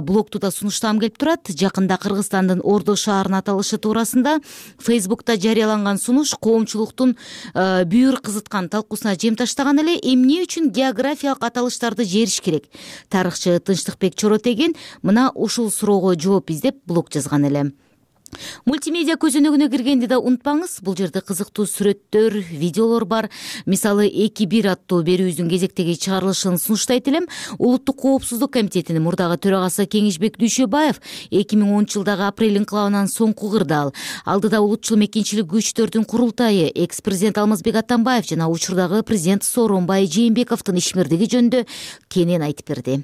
блогту да сунуштагым келип турат. Жакында Кыргызстандын Ордо шаарынын аталышы туурасында Фейсбукта жарыяланган сунуш коомчулуктун бүйүр кызыткан талкуусуна жем таштаган эле. Эмне үчүн географиялык аталыштарды жериш керек? Тарыхчы Тынчтыкбек Чоротеген мына ушул суроого жооп издеп блог жазган эле. Мультимедиа көзөнөгүнө киргенди да унутпаңыз. Бул жерде кызыктуу сүрөттөр, видеолор бар. Мисалы, 2-1 аттуу берүүбүздүн кезектеги чыгарылышын сунуштайт элем. Улуттук коопсуздук комитетинин мурдагы төрагасы Кеңешбек Дүйшөбаев 2010 жылдагы апрель инкылабынан соңку кырдаал. Алдыда улутчул мекенчилик күчтөрдүн курултайы, экс-президент Алмазбек Атамбаев жана учурдагы президент Сооронбай Жээнбековдун ишмердиги жөнүндө кенен айтып берди.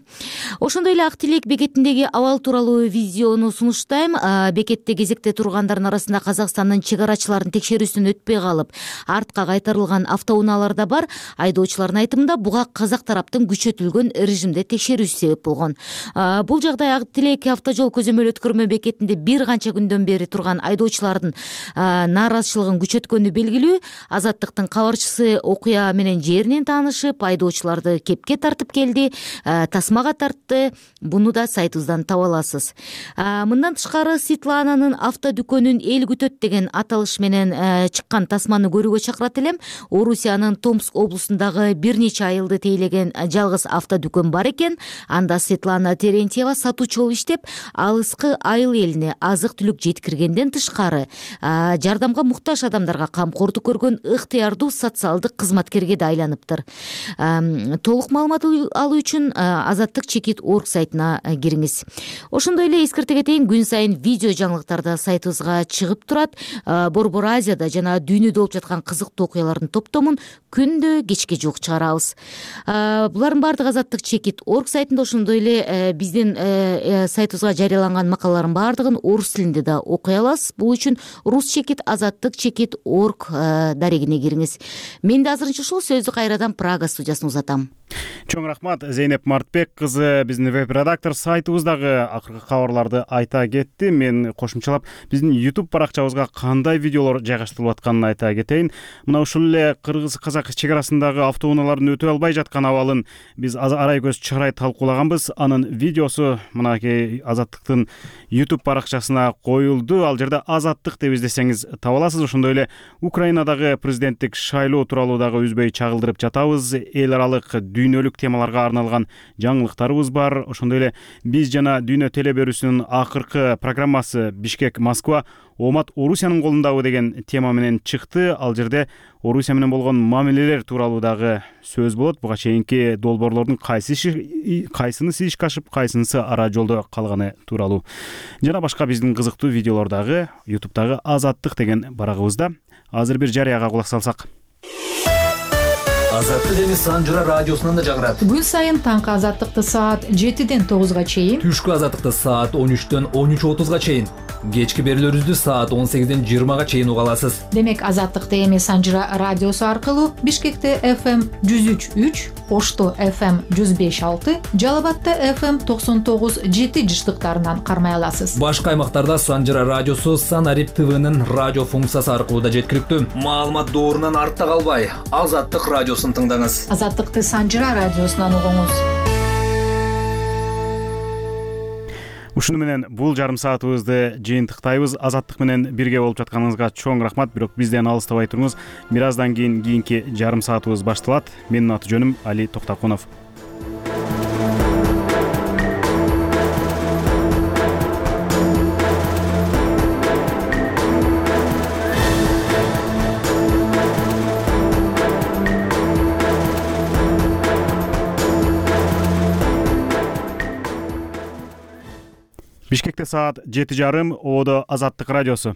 Ошондой эле Ак Тилек бекетиндеги абал тууралуу видеону сунуштайм. Бекетте тургандардын арасында Казакстандын чегарачыларын текшерүүсүнөн өтпөй калып, артка кайтарылган автоунаалар да бар. Айдоочулардын айтымында буга казак тараптын күчөтүлгөн режимде текшерүүсү себеп болгон. Бул жагдай Ак Тилек автожол көзөмөл өткөрмө бекетинде бир канча күндөн бери турган айдоочулардын нааразычылыгын күчөткөнү белгилүү. Азаттыктын кабарчысы окуя менен жеринен таанышып, айдоочуларды кепке тартып келди, тасмага тартты. Буну да сайтыбыздан таба аласыз. Мындан тышкары Светлананын автодүкөнүн эл күтөт деген аталыш менен чыккан тасманы көрүүгө чакырат элем. Орусиянын Томск облусундагы бир нече айылды тейлеген жалгыз автодүкөн бар экен. Анда Светлана Терентьева сатуучу болуп иштеп, алыскы айыл элине азык-түлүк жеткиргенден тышкары жардамга муктаж адамдарга камкордук көргөн ыктыярдуу социалдык кызматкерге да айланыптыр. Толук маалымат алуу үчүн Азаттык Чекит.org сайтына кириңиз. Ошондой эле эскерте кетейин, күн сайын видео жаңылыктарда сайтыбызга чыгып турат. Борбор Азияда жана дүйнөдө болуп жаткан кызыктуу окуялардын топтомун күндө кечке жуук чыгарабыз. Булардын баардыгы Азаттык Чекит.org сайтында, ошондой эле биздин сайтыбызга жарыяланган макалалардын баардыгын орус тилинде да окуй аласыз. Бул үчүн Рус Чекит, Азаттык Чекит.org дарегине кириңиз. Мен да азырынча ушул сөздү кайрадан Прага студиясына узатам. Чоң рахмат, Зейнеп Мартбек кызы биздин веб-редактор сайтыбыздагы акыркы кабарларды айта кетти. Мен кошумчалап биздин YouTube баракчабызга кандай видеолор жайгаштырылып атканын айта кетейин. Мына ушул эле кыргыз-казак чегарасындагы автоунаалардын өтө албай жаткан абалын биз арай көз чыгарай талкуулаганбыз. Анын видеосу мынакей Азаттыктын YouTube баракчасына коюлду. Ал жерде Азаттык деп издесеңиз таба аласыз. Ошондой эле Украинадагы президенттик шайлоо тууралуу дагы үзбөй чагылдырып жатабыз. Эл аралык дүйнөлүк темаларга арналган жаңылыктарыбыз бар. Ошондой эле биз жана Дүйнө телеберүүсүнүн акыркы программасы Бишкек Москва Омат Орусиянын колундабы деген тема менен чыкты. Ал жерде Орусия менен болгон мамилелер тууралуу дагы сөз болот. Буга чейинки долбоорлордун кайсынысы ишке ашып, кайсынысы ара жолдо калганы тууралуу жана башка биздин кызыктуу видеолор дагы YouTube'дагы Азаттык деген барагыбызда. Азыр бир жарыяга кулак салсак. Азаттык эми Санжыра радиосунан да жаңырат. Күн сайын таңкы Азаттыкты саат 7-ден 9-га чейин, түшкү Азаттыкты саат 13-төн 13:30-га чейин, кечки берүүлөрүбүздү саат 18-ден 20-га чейин уга аласыз. Демек Азаттыкты эми Санжыра радиосу аркылуу Бишкекте FM 103.3, Ошто FM 105.6, Жалал Абадта FM 99.7 жыштыктарынан кармай аласыз. Башка аймактарда Санжыра радиосу Санарип ТВнын радио функциясы аркылуу да жеткиликтүү. Маалымат доорунан артта калбай, Азаттык радиосун тыңдаңыз. Азаттыкты Санжыра радиосунан угуңуз. Ушуну менен бул жарым саатыбызды жыйынтыктайбыз. Азаттык менен бирге болуп жатканыңызга чоң рахмат. Бирок бизден алыстабай туруңуз. Бир аздан кийинки жарым саатыбыз башталат. Менин аты жөнүм Али Токтокунов. Бишкекте саат 7:30, Ободо Азаттык радиосу.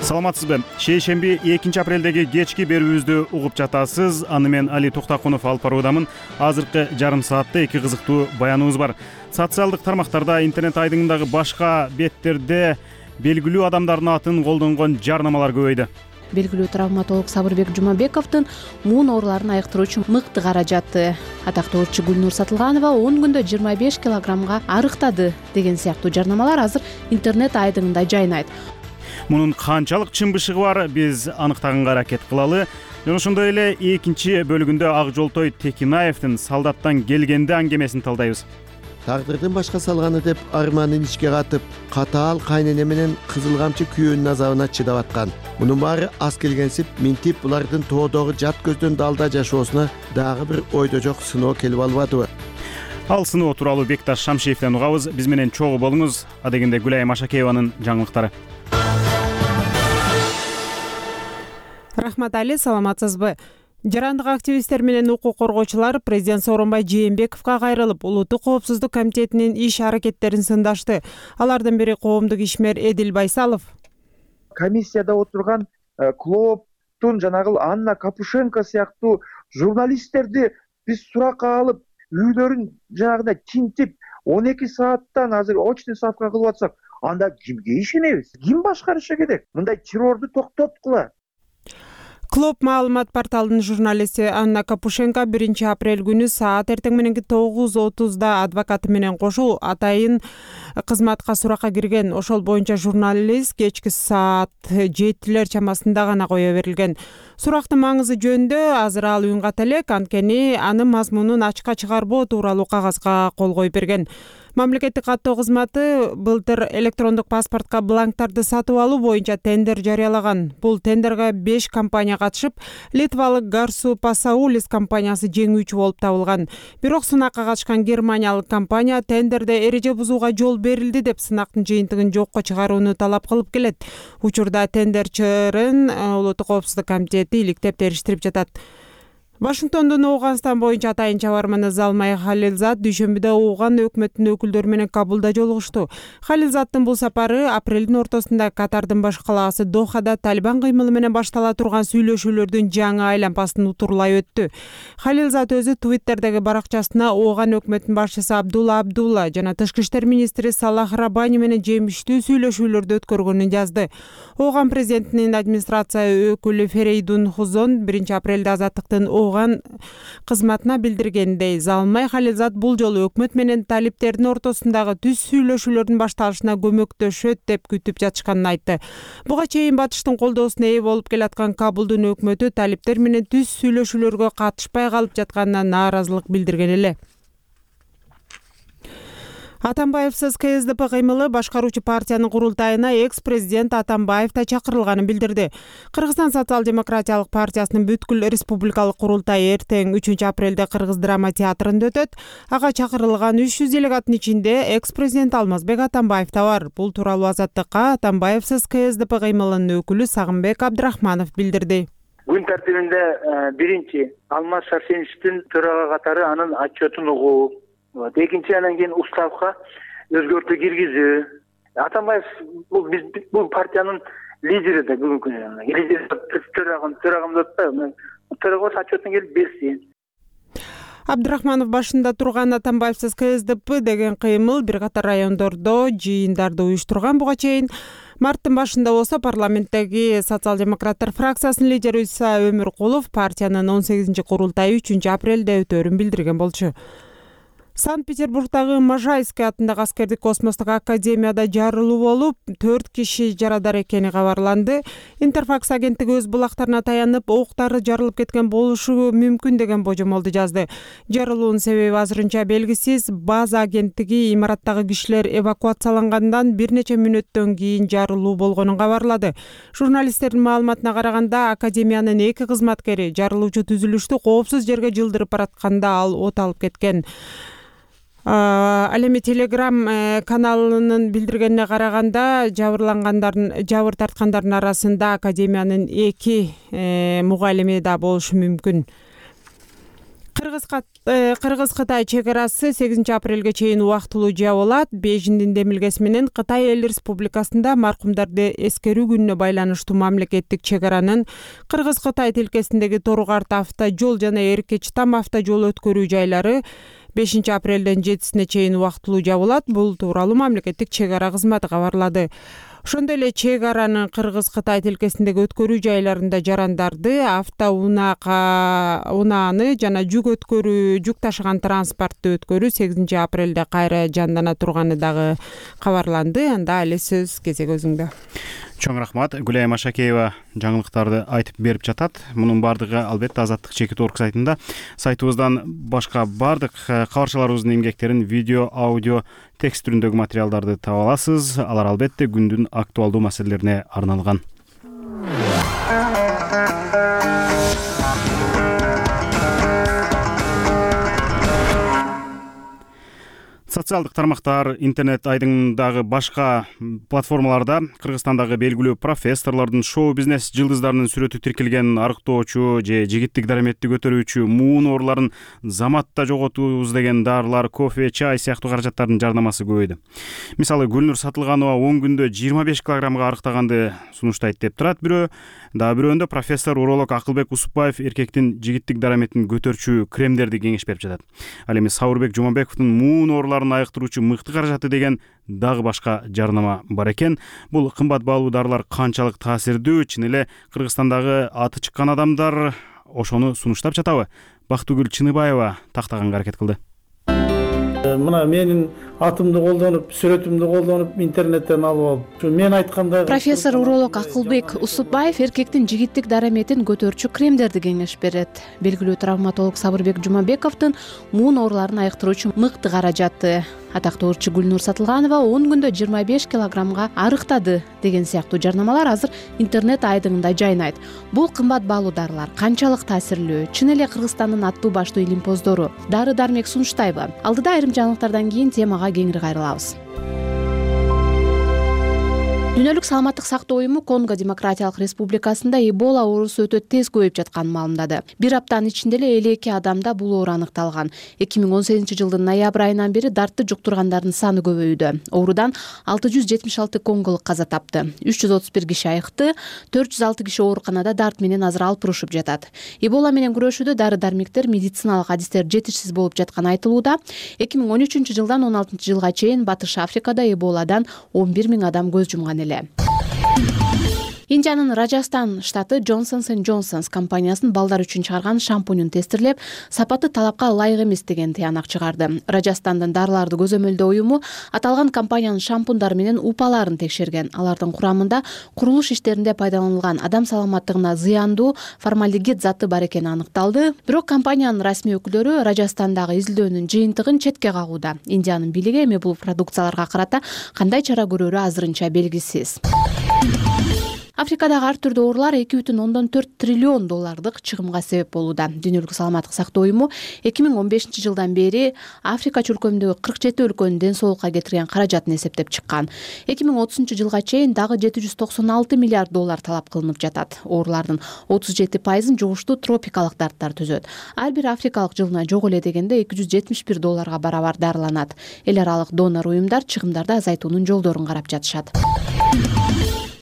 Саламатсызбы? Шейшемби 2 апрелдеги кечки берүүбүздү угуп жатасыз. Аны мен Али Токтокунов алып баруудамын. Азыркы жарым саатта 2 кызыктуу баяныбыз бар. Социалдык тармактарда, интернет айдыңындагы башка беттерде белгилүү адамдардын атын колдонгон жарнамалар көбөйдү. Белгилүү травматолог Сабырбек Жумабековдун муун ооруларын айыктыруучу мыкты каражаты, атактуу урчу Гүлнур Сатылганова 10 күндө 25 килограммга арыктады деген сыяктуу жарнамалар азыр интернет айдыңында жайнайт. Мунун канчалык чын бышыгы бар, биз аныктаганга аракет кылалы. Жана ошондой эле экинчи бөлүгүндө Ак Жолтой Текинаевдин Салдаттан келгенде аңгемесин талдайбыз. Тагдырдын башка салганы деп арманын ичке катып, катаал кайнене менен кызыл камчы күйөөнүн азабына чыдап аткан. Мунун баары аз келгенсип, минтип булардын тоодогу жат көздөн далда жашоосуна дагы бир ойдо жок сыноо келип албадыбы? Ал сыноо тууралуу Бекташ Шамшиевден угабыз. Биз менен чогуу болуңуз. Адегенде Гүлайым Ашакееванын жаңылыктары. Рахмат Али, саламатсызбы? Жарандык активисттер менен укук коргоочулар президент Сооронбай Жээнбековго кайрылып, Улуттук коопсуздук комитетинин иш аракеттерин сындашты. Алардын бири коомдук ишмер Эдил Байсалов. Комиссияда отурган Клооптун жанагы Анна Капушенко сыяктуу журналисттерди биз суракка алып, үйлөрүн жанагындай тинтип 12 сааттан азыр очный ставка кылып атсак, анда кимге ишенебиз? Ким башкарышы керек? Мындай террорду токтоткула. Клоп маалымат порталынын журналисти Анна Капушенко 1 апрель күнү саат эртең мененки 9:30 адвокаты менен кошо атайын кызматка суракка кирген. Ошол боюнча журналист кечки саат 7 чамасында гана кое берилген. Сурактын маңызы жөнүндө азыр ал үн ката элек, анткени анын мазмунун ачыкка чыгарбоо тууралуу кагазга кол коюп берген. Мамлекеттик каттоо кызматы былтыр электрондук паспортко бланктарды сатып алуу боюнча тендер жарыялаган. Бул тендерге 5 компания катышып, Литвалык Гарсу Пасаулис компаниясы жеңүүчү болуп табылган. Бирок сынакка катышкан германиялык компания тендерде эреже бузууга жол берилди деп сынактын жыйынтыгын жокко чыгарууну талап кылып келет. Учурда тендер чырын Улуттук коопсуздук комитети иликтеп териштирип жатат. Вашингтондун Ооганстан боюнча атайын чабарманы Залмай Халилзат дүйшөмбүдө Ооган өкмөтүнүн өкүлдөрү менен Кабулда жолугушту. Халилзаттын бул сапары апрелдин ортосунда Катардын баш калаасы Дохада Талибан кыймылы менен баштала турган сүйлөшүүлөрдүн жаңы айлампасын утурлай өттү. Халилзат өзү Твиттердеги баракчасына Ооган өкмөтүнүн башчысы Абдулла Абдулла жана тышкы иштер министри Салах Рабани менен жемиштүү сүйлөшүүлөрдү өткөргөнүн жазды. Ооган президентинин администрация өкүлү Ферейдун Хузон 1 апрелде Азаттыктын Ооган кызматына билдиргендей, Залмай Халилзат бул жолу өкмөт менен талиптердин ортосундагы түз сүйлөшүүлөрдүн башталышына көмөктөшөт деп күтүп жатышканын айтты. Буга чейин батыштын колдоосуна ээ болуп келаткан Кабулдун өкмөтү талиптер менен түз сүйлөшүүлөргө катышпай калып жатканына нааразылык билдирген эле. Атамбаевсиз КСДП кыймылы башкаруучу партиянын курултайына экс-президент Атамбаев да чакырылганын билдирди. Кыргызстан социал-демократиялык партиясынын бүткүл республикалык курултайы эртең 3 апрелде Кыргыз драма театрында өтөт. Ага чакырылган 300 делегаттын ичинде экс-президент Алмазбек Атамбаев да бар. Бул тууралуу Азаттыкка Атамбаевсиз КСДП кыймылынын өкүлү Сагынбек Абдрахманов билдирди. Күн тартибинде биринчи Алмаз Шарсеновичтин төрага катары анын отчетун угуу, экинчи анан кийин уставка өзгөртүү киргизүү. Атамбаев бул партиянын лидери да бүгүнкү күнү. Лидер төрагамды атпайбы? Төрага отчетун келип берсин. Абдрахманов башында турган Атамбаевсиз КСДП деген кыймыл бир катар райондордо жыйындарды уюштурган. Буга чейин марттын башында болсо парламенттеги социал-демократтар фракциясынын лидери Иса Өмүркулов партиянын 18-курултайы 3 апрелде өтөөрүн билдирген болчу. Санкт-Петербургдагы Можайский атындагы аскердик космостук академияда жарылуу болуп, 4 киши жарадар экени кабарланды. Интерфакс агенттиги өз булактарына таянып, октары жарылып кеткен болушу мүмкүн деген божомолду жазды. Жарылуунун себеби азырынча белгисиз. База агенттиги имараттагы кишилер эвакуациялангандан бир нече мүнөттөн кийин жарылуу болгонун кабарлады. Журналисттердин маалыматына караганда, академиянын 2 кызматкери жарылуучу түзүлүштү коопсуз жерге жылдырып баратканда ал от алып кеткен. Ал эми Telegram каналынын билдиргенине караганда, жабыр тарткандардын арасында академиянын 2 мугалими да болушу мүмкүн. Кыргыз-Кытай чек арасы 8 апрелге чейин убактылуу жабылат. Бейжиңдин демилгеси менен Кытай Эл Республикасында маркумдарды эскерүү күнүнө байланыштуу мамлекеттик чек аранын Кыргыз-Кытай тилкесиндеги Торукарт автожол жана Эркечтам автожол өткөрүү жайлары 5 апрелден 7-сине чейин убактылуу жабылат. Бул тууралуу мамлекеттик чек ара кызматы кабарлады. Ошондой эле чек аранын Кыргыз-Кытай тилкесиндеги өткөрүү жайларында жарандарды, унааны жана жүк ташыган транспортду өткөрүү 8 апрелде кайра жандана турганы дагы кабарланды. Анда эле сөз кезек өзүңдө. Чоң рахмат. Гүлайым Ашакеева жаңылыктарды айтып берип жатат. Мунун бардыгы албетте Азаттык Чекит.org сайтында. Сайтыбыздан башка бардык кабарчаларыбыздын эмгектерин видео, аудио, текст түрүндөгү материалдарды таба аласыз. Алар албетте күндүн актуалдуу маселелерине арналган. Социалдык тармактар, интернет айдыңдагы башка платформаларда Кыргызстандагы белгилүү профессорлордун, шоу-бизнес жылдыздарынын сүрөтү тиркелген арыктоочу же жигиттик дараметти көтөрүүчү, муун ооруларын заматта жоготуубуз деген дарылар, кофе, чай сыяктуу каражаттардын жарнамасы көбөйдү. Мисалы, Гүлнур Сатылганова 10 күндө 25 килограммга арыктаганды сунуштайт деп турат бирөө. Дагы бирөөндө профессор уролог Акылбек Усупбаев эркектин жигиттик дараметтин көтөрчү кремдерди кеңеш берип жатат. Ал эми Сабырбек Жумабековдун муун ооруларын айыктыруучу мыкты каражаты деген дагы башка жарнама бар экен. Бул кымбат баалуу дарылар канчалык таасирдүү, чын эле Кыргызстандагы аты чыккан адамдар ошону сунуштап жатабы? Бактыгүл Чыныбаева тактаганга аракет кылды. Мына менин атымды колдонуп, сүрөтүмдү колдонуп, интернеттен алып алып, мен айткандай профессор уролог Акылбек Усупбаев эркектин жигиттик дараметин көтөрчү кремдерди кеңеш берет. Белгилүү травматолог Сабырбек Жумабековдун муун ооруларын айыктыруучу мыкты каражаты. Атактуу ырчы Гүлнур Сатылганова 10 күндө 25 килограммга арыктады деген сыяктуу жарнамалар азыр интернет айдыңында жайнайт. Бул кымбат баалуу дарылар канчалык таасирлүү? Чын эле Кыргызстандын аттуу баштуу илимпоздору дары-дармек сунуштайбы? Алдыда айрым жаңылыктардан кийин темага кеңири кайрылабыз. Дүйнөлүк саламаттык сактоо уюму Конго Демократиялык Республикасында Эбола оорусу өтө тез көбөйүп жатканын маалымдады. Бир аптанын ичинде эле 52 адамда бул оору аныкталган. 2018-жылдын ноябрь айынан бери дартты жуктургандардын саны көбөйдү. Оорудан 676 конголук каза тапты. 331 киши айыкты, 406 киши ооруканада дарт менен азыр алпырышып жатат. Эбола менен күрөшүүдө дары-дармектер, медициналык адистер жетишсиз болуп жатканы айтылууда. 2013-жылдан 16-жылга чейин Батыш Африкада Эболадан 11 000 адам көз жумган. Индиянын Раджастан штаты Johnsons & Johnsons компаниясынын балдар үчүн чыгарган шампунун тестирлеп, сапаты талапка ылайык эмес деген тыянак чыгарды. Раджастандын дарыларды көзөмөлдөө уюму аталган компаниянын шампундары менен упаларын текшерген. Алардын курамында курулуш иштеринде пайдаланылган адам саламаттыгына зыяндуу формальдегид заты бар экени аныкталды. Бирок компаниянын расмий өкүлдөрү Раджастандагы изилдөөнүн жыйынтыгын четке кагууда. Индиянын бийлиги эми бул продукцияларга карата кандай чара көрөрү азырынча белгисиз. Африкадагы ар түрдүү оорулар 2,4 триллион доллардык чыгымга себеп болууда. Дүйнөлүк саламаттык сактоо уюму 2015-жылдан бери Африка чөлкөмүндөгү 47 өлкөнүн ден соолукка кетирген каражатын эсептеп чыккан. 2030-жылга чейин дагы 796 миллиард доллар талап кылынып жатат. Оорулардын 37%-ын жугуштуу тропикалык дарттар түзөт. Ар бир африкалык жылына жок эле дегенде 271 долларга барабар дарыланат. Эл аралык донор уюмдар чыгымдарды азайтуунун жолдорун карап жатышат.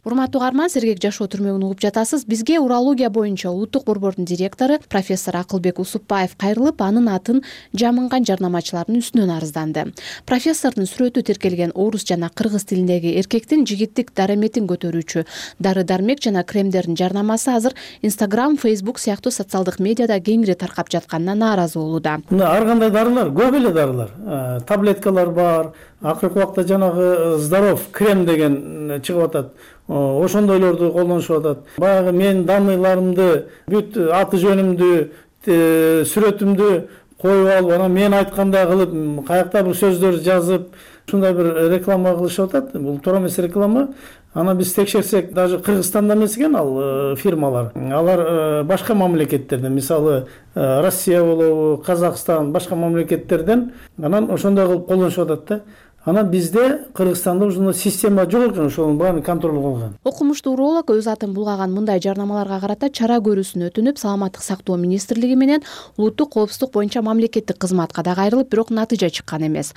урматтуу угарман, сергек жашоо түрмөгүн угуп жатасыз. Бизге урология боюнча улуттук борбордун директору профессор Акылбек Усупбаев кайрылып, анын атын жамынган жарнамачылардын үстүнөн арызданды. Профессордун сүрөтү тиркелген орус жана кыргыз тилиндеги эркектин жигиттик дараметин көтөрүүчү дары-дармек жана кремдердин жарнамасы азыр Instagram, Facebook сыяктуу социалдык медиада кеңири таркап жатканына нааразы болууда. Ар кандай дарылар, көп эле дарылар, таблеткалар бар. Акыркы убакта жанагы здоров крем деген чыгып атат. Ошондойлорду колдонушуп атат. Баягы менин данныйларымды, бүт аты жөнүмдү, сүрөтүмдү коюп алып, анан мен айткандай кылып, каякта бир сөздөр жазып, ушундай бир реклама кылышып атат. Бул туура эмес реклама. Аны биз текшерсек, даже Кыргызстанда эмес экен ал фирмалар. Алар башка мамлекеттерден, мисалы Россия болобу, Казакстан, башка мамлекеттерден анан ошондой кылып колдонушуп атат да. Анан бизде Кыргызстанда ушундай система жок экен, ошонун баарын контроль кылган. Окумуштуу уролог өз атын булгаган мындай жарнамаларга карата чара көрүүсүн өтүнүп, Саламаттык сактоо министрлиги менен улуттук коопсуздук боюнча мамлекеттик кызматка да кайрылып, бирок натыйжа чыккан эмес.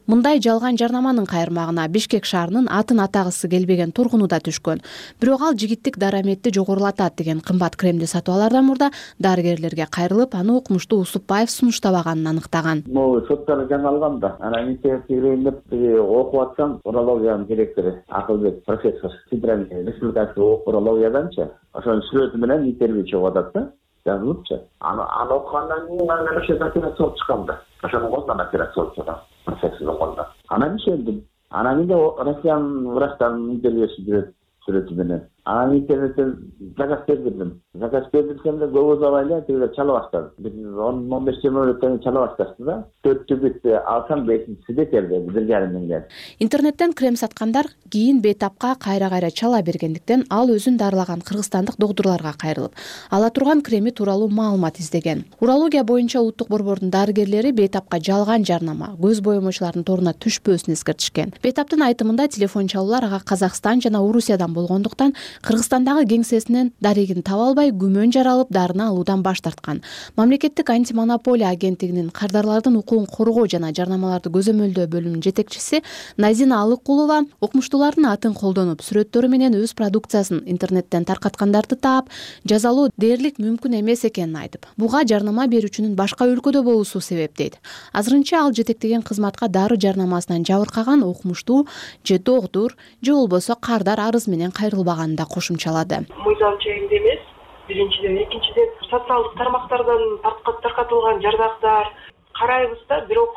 Мындай жалган жарнаманын кайырмагына Бишкек шаарынын атын атагысы келбеген тургуну да түшкөн. Бирок ал жигиттик дараметти жогорулатат деген кымбат кремди сатып алаардан мурда дарыгерлерге кайрылып, аны окумуштуу Усупбаев сунуштабаганын аныктаган. Могу соттор жаңылган да. Анан интернеттен деп окуп атсам, урологиянын директору Акылбек профессор Федеральный республикалык урологияданчы ошонун сүрөтү менен интервью чыгып атат да, жазылыпчы. Аны окугандан кийин аны операция болуп чыккан да. Ошонун колунан операция болуп чыккан профессордун колунан. Анан ишендим. Анан кийин Россиянын врачтарынын интервьюсу сүрөтү менен. Анан интернеттен заказ бердим. Заказ бердимсем да көп узабай эле тигилер чала баштады. Бир 10-15 мүнөттөн чала башташты да. 4-түбүттү алсам 5-сиде келди, 1,5 миңден. Интернеттен крем саткандар кийин бейтапка кайра чала бергендиктен ал өзүн дарылаган кыргызстандык доктурларга кайрылып, ала турган креми тууралуу маалымат издеген. Урология боюнча улуттук борбордун дарыгерлери бейтапка жалган жарнама, көз боемочулардын торуна түшпөсүн эскертишкен. Бейтаптын айтымында телефон чалуулар ага Казакстан жана Орусиядан болгондуктан Кыргызстандагы кеңсесинен дарегин таба албай күмөн жаралып дарыны алуудан баш тарткан. Мамлекеттик антимонополия агенттигинин кардарлардын укугун коргоо жана жарнамаларды көзөмөлдөө бөлүмүнүн жетекчиси Назина Алыкулова окумуштуулардын атын колдонуп, сүрөттөрү менен өз продукциясын интернеттен таркаткандарды таап, жазалоо дээрлик мүмкүн эмес экенин айтып, буга жарнама берүүчүнүн башка өлкөдө болуусу себеп дейт. Азырынча ал жетектеген кызматка дары жарнамасынан жабыркаган окумуштуу же доктур же болбосо кардар арыз менен кайрылбаганын да кошумчалады. Мыйзам чегинде эмес, биринчиден, экинчиден социалдык тармактардан таркатылган жардактар карайбыз да, бирок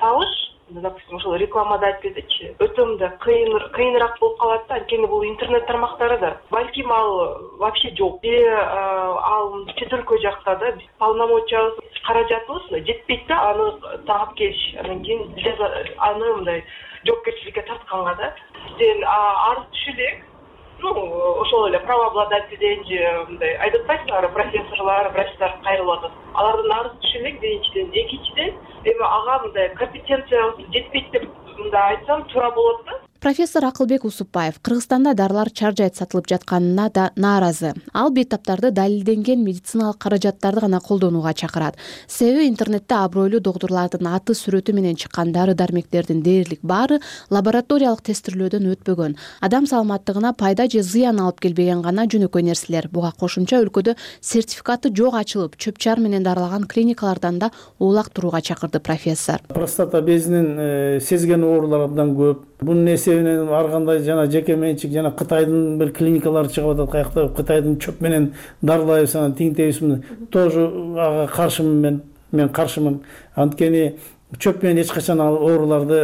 табыш, допустим, ошол рекламада айтып кетечи, өтө мындай кыйыныраак болуп калат да, анткени бул интернет тармактары да. Балким ал вообще жок. Ал чет өлкө жакта да, полномочиябыз, каражатыбыз жетпейт да, аны таап келиш, анан кийин аны мындай жоопкерчиликке тартканга да. Сен арыз түшү элек. Ошол эле правообладательден же мындай айтып атпайсыңарбы, профессорлор, врачтар кайрылып атат. Алардын арыз түшү элек биринчиден, экинчиден эми ага мындай компетенциябыз жетпейт деп мындай айтсам туура болот да. Профессор Акылбек Усупбаев Кыргызстанда дарылар чаржайт сатылып жатканына да нааразы. Ал бейтаптарды далилденген медициналык каражаттарды гана колдонууга чакырат. Себеби интернетте абройлуу доктурлардын аты сүрөтү менен чыккан дары-дармектердин дээрлик баары лабораториялык тестирлөөдөн өтпөгөн. Адам саламаттыгына пайда же зыян алып келбеген гана жөнөкөй нерселер. Буга кошумча өлкөдө сертификаты жок ачылып, чөп-чар менен дарылаган клиникалардан да улак турууга чакырды профессор. Простата безинин сезген оорулары абдан көп. Бунун эсебинен ар кандай жана жеке менчик жана Кытайдын бир клиникалары чыгып атат, каякта Кытайдын чөп менен дарылайбыз, анан тиңтебизбиз. Тоже ага каршымын мен каршымын. Анткени чөп менен эч качан ал ооруларды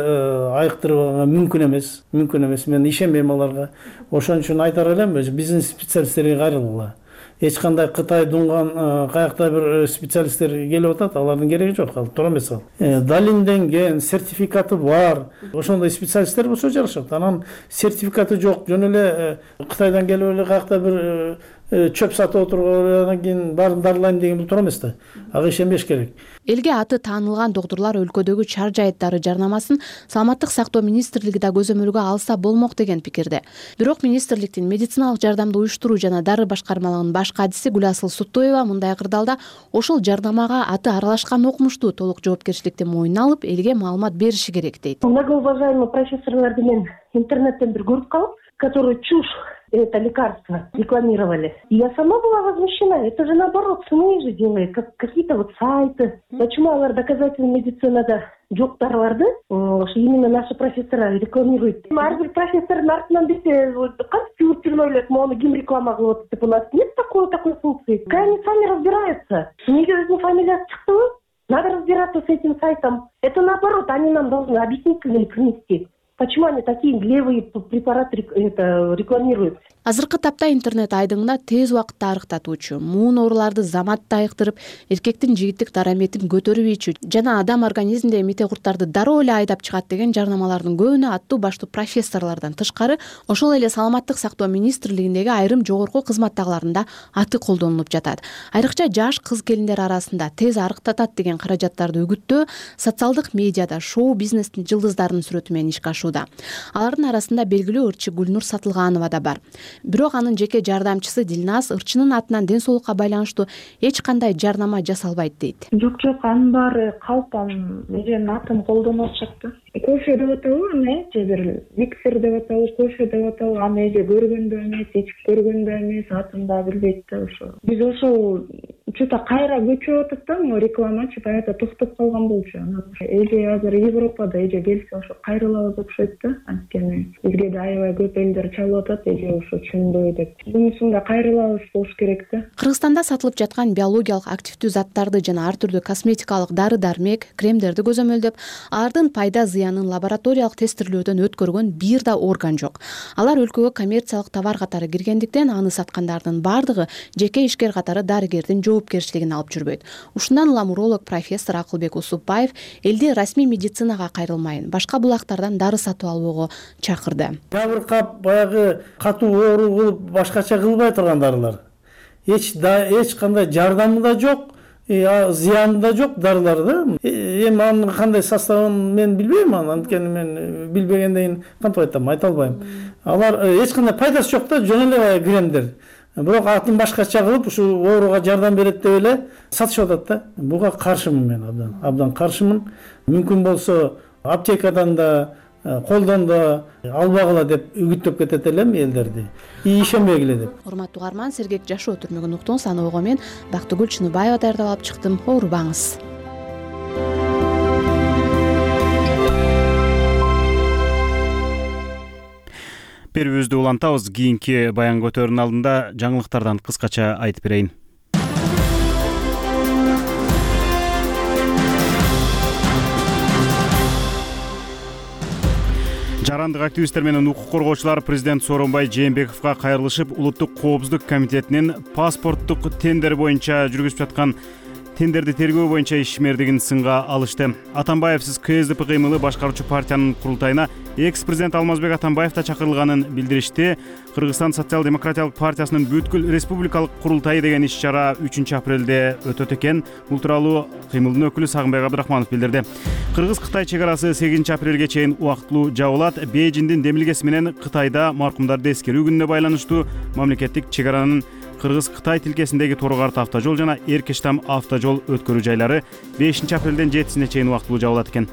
айыктырууга мүмкүн эмес. Мен ишенбейм аларга. Ошон үчүн айтар элем, биздин специалисттерге кайрылгыла. Эч кандай Кытай дунган каякта бир специалисттер келип атат, алардын кереги жок, ал туура эмес ал. Далилденген, сертификаты бар. Ошондой специалисттер болсо жарашат. Анан сертификаты жок, жөн эле Кытайдан келип эле каякта бир чөп сатып отурган, анан кийин баарын дарылайм деген бул туура эмес да. Ага ишенбеш керек. Элге аты таанылган доктурлар өлкөдөгү чаржайт дары жарнамасын Саламаттык сактоо министрлиги да көзөмөлгө алса болмок деген пикирде. Бирок министрликтин медициналык жардамды уюштуруу жана дары башкармалыгынын баш кадиси Гүласыл Суттоева мындай кырдаалда ошол жарнамага аты аралашкан окумуштуу толук жоопкерчиликти мойнуна алып, элге маалымат бериши керек дейт. Многоуважаемый профессорлорду мен интернеттен бир көрүп калып, которую чушь это лекарство рекламировали. Я сама была возмущена. Это же наоборот СМИ же делает, как какие-то вот сайты. Почему алар доказательная медицинада жоктарларды именно наши профессора рекламируют? Ар бир профессордун артынан десе кантип жүрүп ойлойт, мону ким реклама кылып атат деп. У нас нет такой функции. Пускай они сами разбираются. Неге өзүнүн фамилиясы чыктыбы? Надо разбираться с этим сайтом. Это наоборот, они нам должны объяснить или принести. Почему они такие левые препараты рекламируют? Азыркы тапта интернет айдыңына тез убакытта арыктатуучу, муун ооруларды заматта айыктырып, эркектин жигиттик дараметин көтөрбөйчү жана адам организминдеги мите курттарды дароо эле айдап чыгат деген жарнамалардын көбүнө аттуу баштуу профессорлордон тышкары ошол эле саламаттык сактоо министрлигиндеги айрым жогорку кызматтагыларында аты колдонулуп жатат. Айрыкча жаш кыз келиндер арасында тез арыктатат деген каражаттарды үгүттөө социалдык медиада шоу-бизнестин жылдыздарынын сүрөтү менен ишке ашууда. Алардын арасында белгилүү ырчы Гүлнур Сатылганова да бар. Бирок анын жеке жардамчысы Дилназ ырчынын атынан ден соолукка байланыштуу эч кандай жарнама жасалбайт дейт. Жок, анын баары калпам, менин атым колдонуп атышат. Кофе деп атабы, аны же бир миксер деп атабы, кофе деп атабы, аны же көргөндө эмес, ичип көргөндө эмес, атын да билбейт да ошо. Биз ошол чөтө кайра көчүп атат да, могу рекламачы баягы токтоп калган болчу. Эже азыр Европада эже келсе ошо кайрылабыз деп окшойт да, анткени бизге да аябай көп элдер чалып атат, эже ошо чындоо деп. Мунусунда кайрылабыз болуш керек да. Кыргызстанда сатылып жаткан биологиялык активдүү заттарды жана ар түрдүү косметикалык дары-дармек, кремдерди көзөмөлдөп, алардын пайда зыянын лабораториялык тестирлөөдөн өткөргөн бир да орган жок. Алар өлкөгө коммерциялык товар катары киргендиктен аны саткандардын бардыгы жеке ишкер катары дарыгердин жоопкерчилигин алып жүрбөйт. Ушундан улам уролог профессор Акылбек Усупбаев элди расмий медицинага кайрылмайын, башка булактардан дары сатып алууга чакырды. Жабыркап баягы катуу оору кылып башкача кылбай турган дарылар. Эч кандай жардамы да жок, зыяны да жок дарылар да. Эми анын кандай составын мен билбейм, анткени мен билбегенден кантип айтам, айта албайм. Алар эч кандай пайдасы жок да, жөн эле кремдер. Бирок атын башкача кылып ушул ооруга жардам берет деп эле сатышып атат да. Буга каршымын мен, абдан каршымын. Мүмкүн болсо аптекадан да колдон да албагыла деп үгүттөп кетет элем элдерди. Ишенбегиле деп. Урматтуу угарман, сергек жашоо түрмөгүн уктуңуз. Аны ойго мен Бактыгүл Чыныбаева даярдап алып чыктым. Оорубаңыз. Берүүбүздү улантабыз. Кийинки баян көтөрүүнүн алдында жаңылыктардан кыскача айтып берейин. Жарандык активисттер менен укук коргоочулар президент Сооронбай Жээнбековго кайрылышып, Улуттук коопсуздук комитетинин паспорттук тендер боюнча жүргүзүп жаткан тендерди тергөө боюнча ишмердигин сынга алышты. Атамбаевсиз КСДП кыймылы башкаруучу партиянын курултайына экс-президент Алмазбек Атамбаев да чакырылганын билдиришти. Кыргызстан социал-демократиялык партиясынын бүткүл республикалык курултайы деген иш-чара 3 апрелде өтөт экен. Бул тууралуу кыймылдын өкүлү Сагынбек Абдрахманов билдирди. Кыргыз-Кытай чек арасы 8 апрелге чейин убактылуу жабылат. Бейжиңдин демилгеси менен Кытайда маркумдарды эскерүү күнүнө байланыштуу мамлекеттик чек аранын Кыргыз-Кытай тилкесиндеги Тору-Карт автожол жана Эркештам автожол өткөрүү жайлары 5 апрелден 7-сине чейин убактылуу жабылат экен.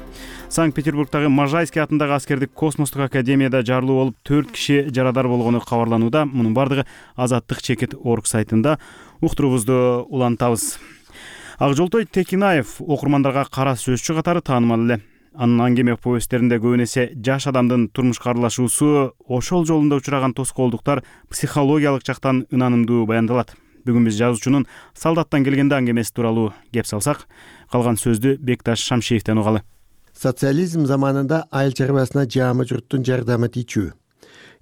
Санкт-Петербургдагы Можайский атындагы аскердик космостук академияда жарылуу болуп 4 киши жарадар болгону кабарланууда. Мунун бардыгы Азаттык чекит орг сайтында. Уктуруубузду улантабыз. Акжолтой Текинаев окурмандарга кара сөзчү катары таанымал эле. Анын аңгеме повесттеринде көбүн эсе жаш адамдын турмушка аралашуусу, ошол жолунда учураган тоскоолдуктар психологиялык жактан ынанымдуу баяндалат. Бүгүн биз жазуучунун Солдаттан келгенде аңгемеси тууралуу кеп салсак, калган сөздү Бекташ Шамшиевден угалы. Социализм заманында айыл чарбасына жаамы журттун жардамы тийчү.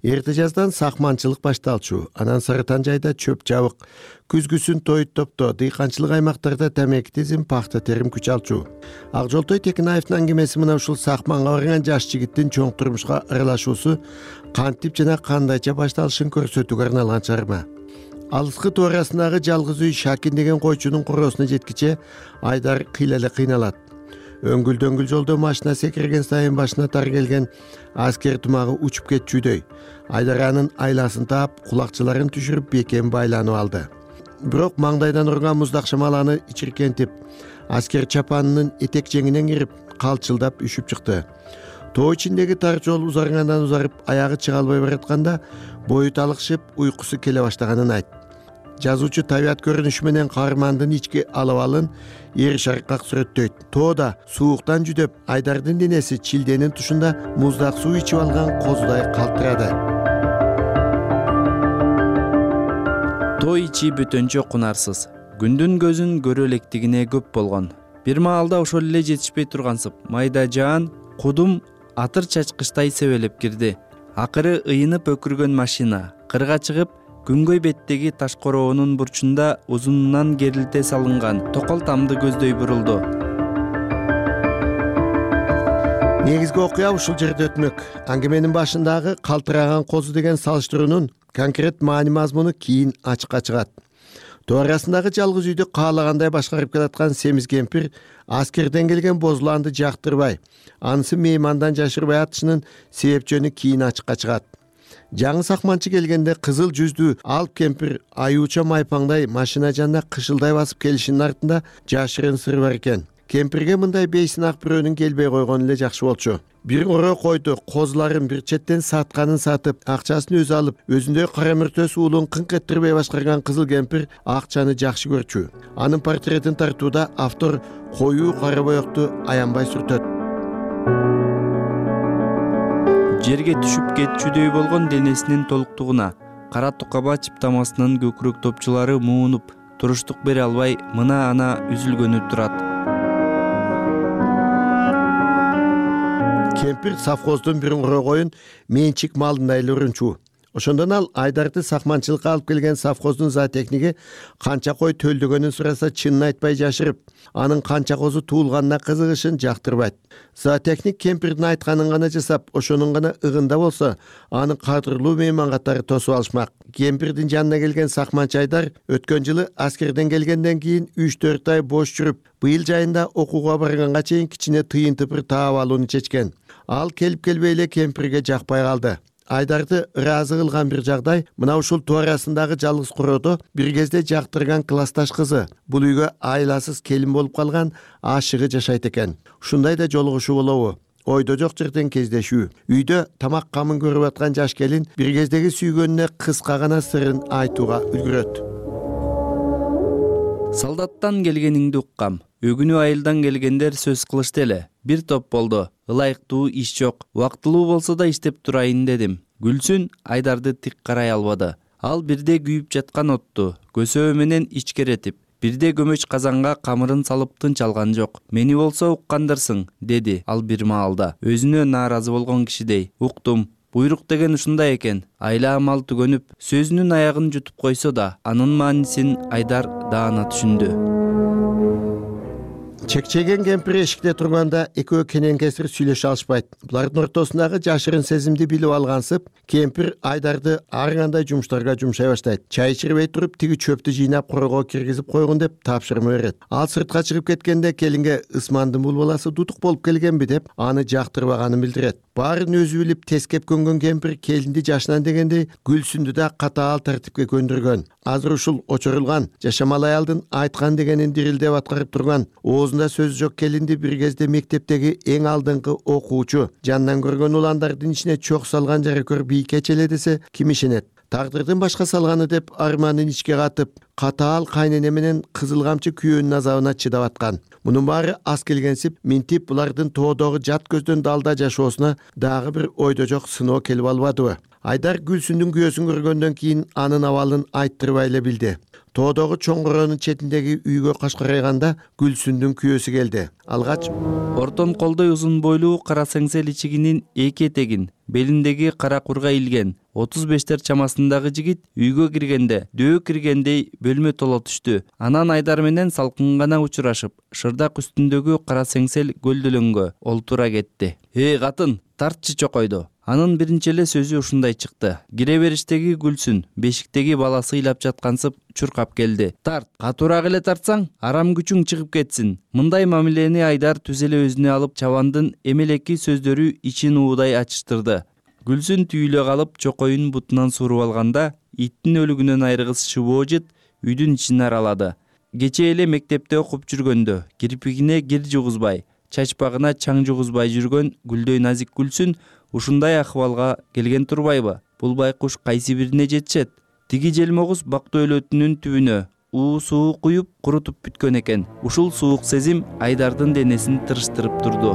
Эрте жаздан сакманчылык башталчу, анан Сарытан жайда чөп жабык, күзгүсүн той топто, дыйканчылык аймактарда темеки тизим, пахта терим күч алчу. Акжолтой Текинаевдин аңгемеси мына ушул сакманга барган жаш жигиттин чоң турмушка аралашуусу кантип жана кандайча башталышын көрсөтүүгө арналган чыгарма. Алыскы туурасындагы жалгыз үй Шакин деген койчунун куросуна жеткиче Айдар кыйлале кыйналат. Өңгүл-дөңгүл жолдо машина секирген сайын башына тар келген аскер тумагы учуп кетчүдөй. Айдар анын айласын таап, кулакчыларын түшүрүп бекем байланып алды. Бирок маңдайдан урган муздак шамаланы ичиркентип, аскер чапанынын этек жеңинен кирип, калчылдап үшүп чыкты. Тоо ичиндеги тар жол узаргандан узарып аягы чыга албай баратканда бою талыкшып уйкусу келе баштаганын айтты. Жазуучу табият көрүнүшү менен каармандын ички алабалын эр шаркак сүрөттөйт. Тоода сууктан жүдөп Айдардын денеси чилденин тушунда муздак суу ичип алган козудай калтырады. Тоо ичи бөтөнчө кунарсыз. Күндүн көзүн көрө электигине көп болгон. Бир маалда ошол эле жетишпей тургансып, майда жаан кудум атыр чачкычтай себелеп кирди. Акыры ыйынып өкүргөн машина кырга чыгып, күнгөй беттеги таш короонун бурчунда узунунан керилте салынган токол тамды көздөй бурулду. Негизги окуя ушул жерде өтмөк. Аңгеменин башындагы калтыраган козу деген салыштыруунун конкрет маани мазмуну кийин ачыкка чыгат. Тоо арасындагы жалгыз үйдү каалагандай башкарып келаткан семиз кемпир аскерден келген бозуланды жактырбай, анысы меймандан жашырбай атышынын себепчөнү кийин ачыкка чыгат. Жаңы сакманчы келгенде кызыл жүздүү алып кемпир аюуча майпаңдай машина жанына кышылдай басып келишинин артында жашырын сыр бар экен. Кемпирге мындай бейсинак бирөөнүн келбей койгону эле жакшы болчу. Бир орой койду козуларын бир четтен сатканын сатып, акчасын өзү алып, өзүндөй кара мөртөс уулун кыңк эттирбей башкарган кызыл кемпир акчаны жакшы көрчү. Анын портретин тартууда автор коюу кара боекту аянбай сүртөт. Жерге түшүп кетчүдөй болгон денесинин толуктугуна кара тукаба чыптамасынын көкүрөк топчулары муунуп, туруштук бере албай мына-ана үзүлгөнү турат. Кемпир совхоздун бир орой коюн менчик малындай эле урунчу. Ошондон ал Айдарды сакманчылыкка алып келген совхоздун зоотехниги канча кой төлдөгөнүн сураса чынын айтпай жашырып, анын канча козу туулганына кызыгышын жактырбайт. Зоотехник кемпирдин айтканын гана жасап, ошонун гана ыгында болсо, аны кадырлуу мейман катары тосуп алышмак. Кемпирдин жанына келген сакманчы Айдар өткөн жылы аскерден келгенден кийин 3-4 ай бош жүрүп, быйыл жайында окууга барганга чейин кичине тыйын тыпыр таап алууну чечкен. Ал келип келбей эле кемпирге жакпай калды. Айдарды ыраазы кылган бир жагдай мына ушул тоо арасындагы жалгыз короодо бир кезде жактырган классташ кызы, бул үйгө айласыз келин болуп калган ашыгы жашайт экен. Ушундай да жолугушуу болобу? Ойдо жок жерден кездешүү. Үйдө тамак камын көрүп аткан жаш келин бир кездеги сүйгөнүнө кыска гана сырын айтууга үлгүрөт. Солдаттан келгениңди уккам. Өгүнү айылдан келгендер сөз кылышты эле. Бир топ болду. Ылайыктуу иш жок. Убактылуу болсо да иштеп турайын дедим. Гүлсүн Айдарды тик карай албады. Ал бирде күйүп жаткан отту көсөө менен ичкеретип, бирде көмөч казанга камырын салып тынч алган жок. Мени болсо уккандырсың, деди ал бир маалда. Өзүнө нааразы болгон кишидей. Уктум. Буйрук деген ушундай экен. Айла амал түгөнүп, сөзүнүн аягын жутуп койсо да, анын маанисин Айдар даана түшүндү. Чекчеген кемпир эшикте турганда экөө кенен кесир сүйлөшө алышпайт. Булардын ортосундагы жашырын сезимди билип алгансып, кемпир Айдарды ар кандай жумуштарга жумшай баштайт. Чай ичирбей туруп, тиги чөптү жыйнап корого киргизип койгун деп тапшырма берет. Ал сыртка чыгып кеткенде келинге Ысмандын бул баласы дутук болуп келгенби деп аны жактырбаганын билдирет. Баарын өзү билип тескеп көнгөн кемпир келинди жашынан дегендей Гүлсүндү да катаал тартипке көндүргөн. Азыр ушул очорулган, жашамал аялдын айткан дегенин дирилдеп аткарып турган, оозунда сөз жок келинди бир кезде мектептеги эң алдыңкы окуучу, жанынан көргөн уландардын ичине чок салган жарыкөр бийке челе десе ким ишенет? Тагдырдын башка салганы деп арманын ичке катып, катаал кайнене менен кызыл камчы күйөөнүн азабына чыдап аткан. Мунун баары аз келгенсип, минтип булардын тоодогу жат көздөн далда жашоосуна дагы бир ойдо жок сыноо келип албадыбы? Айдар Гүлсүндүн күйөөсүн көргөндөн кийин анын абалын айттырбай эле билди. Тоодогу чоң короонун четиндеги үйгө кашкарайганда Гүлсүндүн күйөөсү келди. Алгач ортон колдой узун бойлуу кара сеңсел ичигинин эки этегин белиндеги кара курга илген 35-тер чамасындагы жигит үйгө киргенде дөө киргендей бөлмө толо түштү. Анан Айдар менен салкын гана учурашып, шырдак үстүндөгү кара сеңсел көлдөлөнгө олтура кетти. Катын, тартчы чокойду. Анын биринчи эле сөзү ушундай чыкты. Кире бериштеги Гүлсүн бешиктеги баласы ыйлап жаткансып чуркап келди. Тарт, катуураак эле тартсаң, арам күчүң чыгып кетсин. Мындай мамилени Айдар түз эле өзүнө алып, чабандын эмелеки сөздөрү ичин уудай ачыштырды. Гүлсүн түйүлө калып, чокоюн бутунан сууруп алганда, иттин өлүгүнөн айрыгыс шыбоо жыт үйдүн ичин аралады. Кечээ эле мектепте окуп жүргөндө, кирпигине кир жугузбай, чачпагына чаң жугузбай жүргөн гүлдөй назик Гүлсүн ушундай акыбалга келген турбайбы? Бул байкуш кайсы бирине жетишет? Тиги желмогуз бактоо өлөтүнүн түбүнө суу куюп курутуп бүткөн экен. Ушул суук сезим Айдардын денесин тырыштырып турду.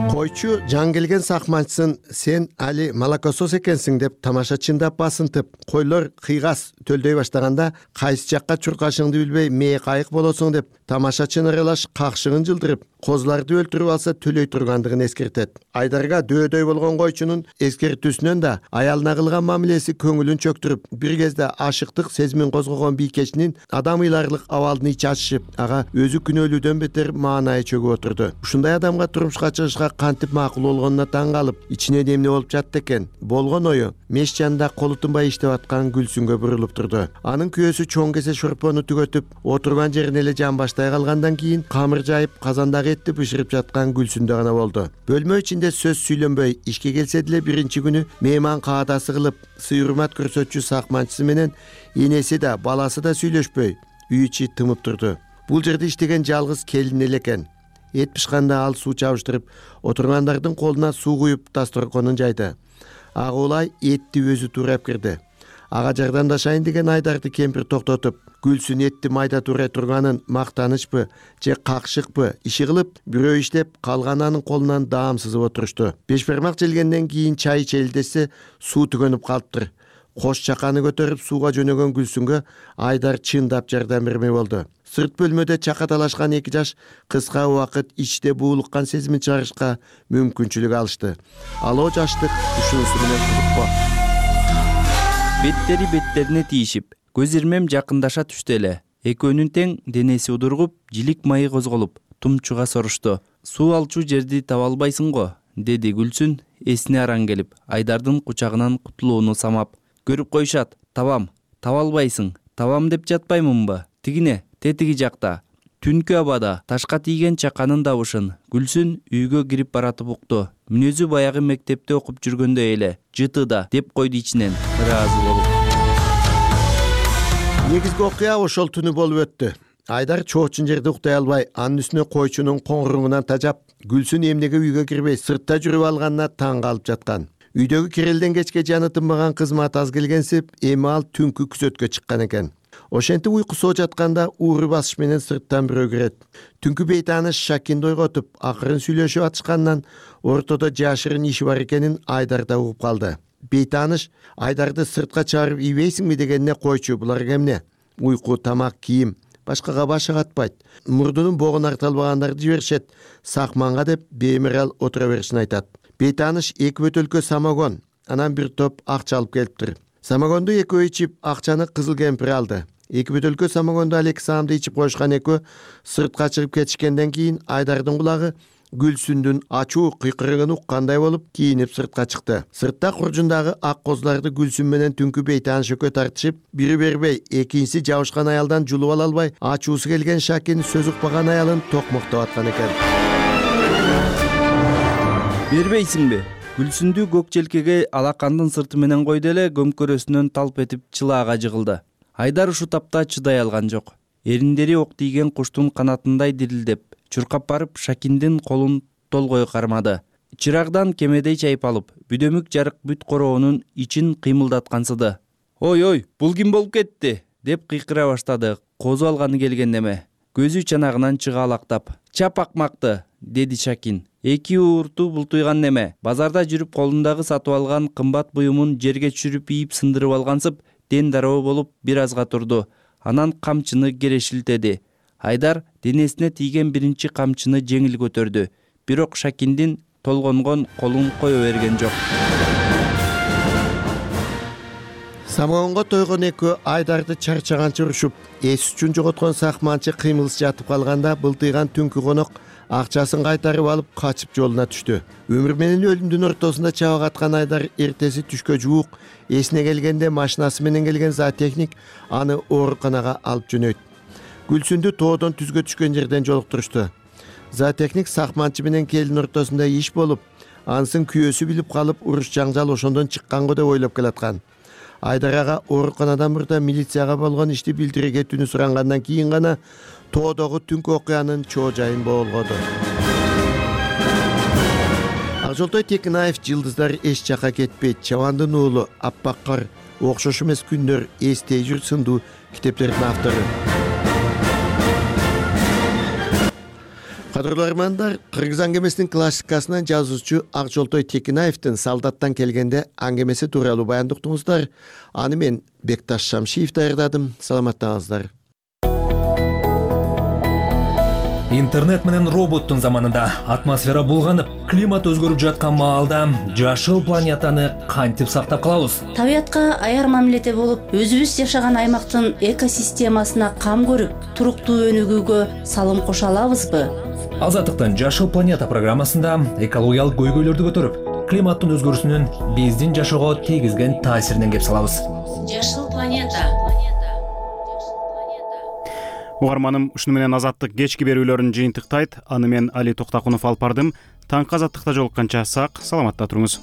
Койчу жан келген сакманчысын сен али молокосос экенсиң деп тамашачындап басынтып, койлор кыйгас төлдөй баштаганда кайсы жакка чуркашыңды билбей мээ кайык болосуң деп тамашачыны ыралаш какшыгын жылдырып, козуларды өлтүрүп алса төлөй тургандыгын эскертет. Айдарга дөөдөй болгон койчунун эскертүүсүнөн да аялына кылган мамилеси көңүлүн чөктүрүп, бир кезде ашыктык сезимин козгогон бийкечинин адам ыйларлык абалын ичи ачышып, ага өзү күнөөлүүдөн бетер маанайы чөгүп отурду. Ушундай адамга турмушка чыгышка кантип макул болгонуна таң калып, ичине эмне болуп жатты экен? Болгон ою меш жанында колу тынбай иштеп аткан Гүлсүнгө бурулуп турду. Анын күйөөсү чоң кесе шорпону түгөтүп, отурган жерине эле жанбаштай калгандан кийин камыр жайып, казандагы этти бышырып жаткан Гүлсүндө гана болду. Бөлмө ичинде сөз сүйлөнбөй, ишке келсе деле биринчи күнү мейман каадасы кылып, сый урмат көрсөтчү сакманчысы менен энеси да, баласы да сүйлөшпөй, үй ичи тымып турду. Бул жерде иштеген жалгыз келин эле экен. Эт пышканда ал суу чабыштырып, отургандардын колуна суу куюп дасторконун жайды. Ага улай этти өзү туурап кирди. Ага жардамдашайын деген Айдарды кемпир токтотуп, Гүлсүн этти майда туурай турганын мактанычпы же какшыкпы иши кылып, бирөө иштеп калган анын колунан даам сызып отурушту. Беш бармак желгенден кийин чай ичели десе, суу түгөнүп калыптыр. Кош чаканы көтөрүп сууга жөнөгөн Гүлсүнгө Айдар чындап жардам бермей болду. Сырт бөлмөдө чакаталашкан эки жаш кыска убакыт ичте буулуккан сезимин чыгарышка мүмкүнчүлүк алышты. Алоо жаштык ушунусу менен кызыкпа. Беттери беттерине тийишип, көз ирмем жакындаша түштү эле. Экөөнүн тең денеси удургуп, жилик майы козголуп, тумчуга сорушту. Суу алчу жерди таба албайсың го, деди Гүлсүн эсине араң келип, Айдардын кучагынан кутулууну самап. Көрүп коюшат, табам, таба албайсың, табам деп жатпаймынбы? Тигине, тетиги жакта. Түнкү абада ташка тийген чаканын дабышын Гүлсүн үйгө кирип баратып укту. Мүнөзү баягы мектепте окуп жүргөндөй эле. Жытыда деп койду ичинен, ыраазы болуп. Негизги окуя ошол түнү болуп өттү. Айдар чоочун жерде уктай албай, анын үстүнө койчунун коңуруңунан тажап, Гүлсүн эмнеге үйгө кирбей сыртта жүрүп алганына таң калып жаткан. Үйдөгү кирелден кечке жаны тынбаган кызмат аз келгенсип, эми ал түнкү күзөткө чыккан экен. Ошентип уйкусу жатканда ууру басыш менен сырттан бирөө кирет. Түнкү бейтааныш Шакинди ойготуп, акырын сүйлөшүп атышкандан ортодо жашырын иши бар экенин Айдар да угуп калды. Бейтааныш Айдарды сыртка чыгарып ийбейсиңби дегенине койчу, булар эмне? Уйку, тамак, кийим, башкага башы катпайт. Мурдунун богун арталбагандарды жиберишет. Сакманга деп бемирал отура беришин айтат. Бейтааныш 2 бөтөлкө самогон, анан бир топ акча алып келиптир. Самогонду экөө ичип, акчаны кызыл кемпир алды. 2 бөтөлкө самогонду алеки саамды ичип коюшкан экөө сыртка чыгып кетишкенден кийин Айдардын кулагы Гүлсүндүн ачуу кыйкырыгын уккандай болуп, кийинип сыртка чыкты. Сыртта куржундагы ак козуларды Гүлсүн менен түнкү бейтааныш экөө тартышып, бири бербей, экинчиси жабышкан аялдан жулуп ала албай, ачуусу келген Шакин сөз укпаган аялын токмоктоп аткан экен. Бербейсиңби? Гүлсүндү көк желкеге алакандын сырты менен койду эле көмкөрөсүнөн талп этип чылаага жыгылды. Айдар ушу тапта чыдай алган жок. Эриндери ок тийген куштун канатындай дирилдеп, чуркап барып Шакиндин колун толгой кармады. Чырагдан кемедей чайып алып, бүдөмүк жарык бүт короонун ичин кыймылдаткансыды. Ой, бул ким болуп кетти? Деп кыйкыра баштады. Козу алганы келген неме. Көзү чанагынан чыга алактап. Чап акмакты, деди Шакин. 2 уурту бултуйган неме. Базарда жүрүп колундагы сатып алган кымбат буюмун жерге түшүрүп ийип сындырып алгансып, ден дароо болуп бир азга турду. Анан камчыны керешилтеди. Айдар денесине тийген биринчи камчыны жеңил көтөрдү. Бирок Шакиндин толгонгон колун кое берген жок. Самогонго тойгон экөө Айдарды чарчаганча урушуп, эс үчүн жоготкон сакманчы кыймылсыз жатып калганда былтыйган түнкү конок акчасын кайтарып алып качып жолуна түштү. Өмүр менен өлүмдүн ортосунда чабак аткан Айдар эртеси түшкө жуук эсине келгенде машинасы менен келген зоотехник аны ооруканага алып жөнөйт. Гүлсүндү тоодон түзгө түшкөн жерден жолуктурушту. Зоотехник сакманчы менен келин ортосунда иш болуп, ансын күйөөсү билип калып, уруш жаңжал ошондон чыкканго деп ойлоп келаткан. Айдар ага ооруканадан мурда милицияга болгон ишти билдире кетүүнү сурангандан кийин гана тоодогу түнкү окуянын чоо жайын болгоду. Акжолтой Текинаев «Жылдыздар эч жака кетпейт», «Чабандын уулу», «Аппак кар», «Окшош эмес күндөр», «Эстей жүр» сындуу китептердин автору. Кадырлуу армандар, Кыргыз аңгемесинин классикасынан жазуучу Акжолтой Текинаевдин «Солдаттан келгенде» аңгемеси тууралуу баянды уктуңуздар. Аны мен Бекташ Шамшиев даярдадым. Саламаттаңыздар. Интернет менен роботтун заманында атмосфера булганып, климат өзгөрүп жаткан маалда жашыл планетаны кантип сактап калабыз? Табиятка аяр мамиледе болуп, өзүбүз жашаган аймактын экосистемасына кам көрүп, туруктуу өнүгүүгө салым кошо алабызбы? Азаттыктын Жашыл планета программасында экологиялык көйгөйлөрдү көтөрүп, климаттын өзгөрүүсүнүн биздин жашоого тийгизген таасиринен кеп салабыз. Жашыл планета. Угарманым, ушуну менен Азаттык кечки берүүлөрүн жыйынтыктайт. Аны мен Али Токтакунов алып бардым. Таңкы Азаттыкта жолукканча сак, саламатта туруңуз.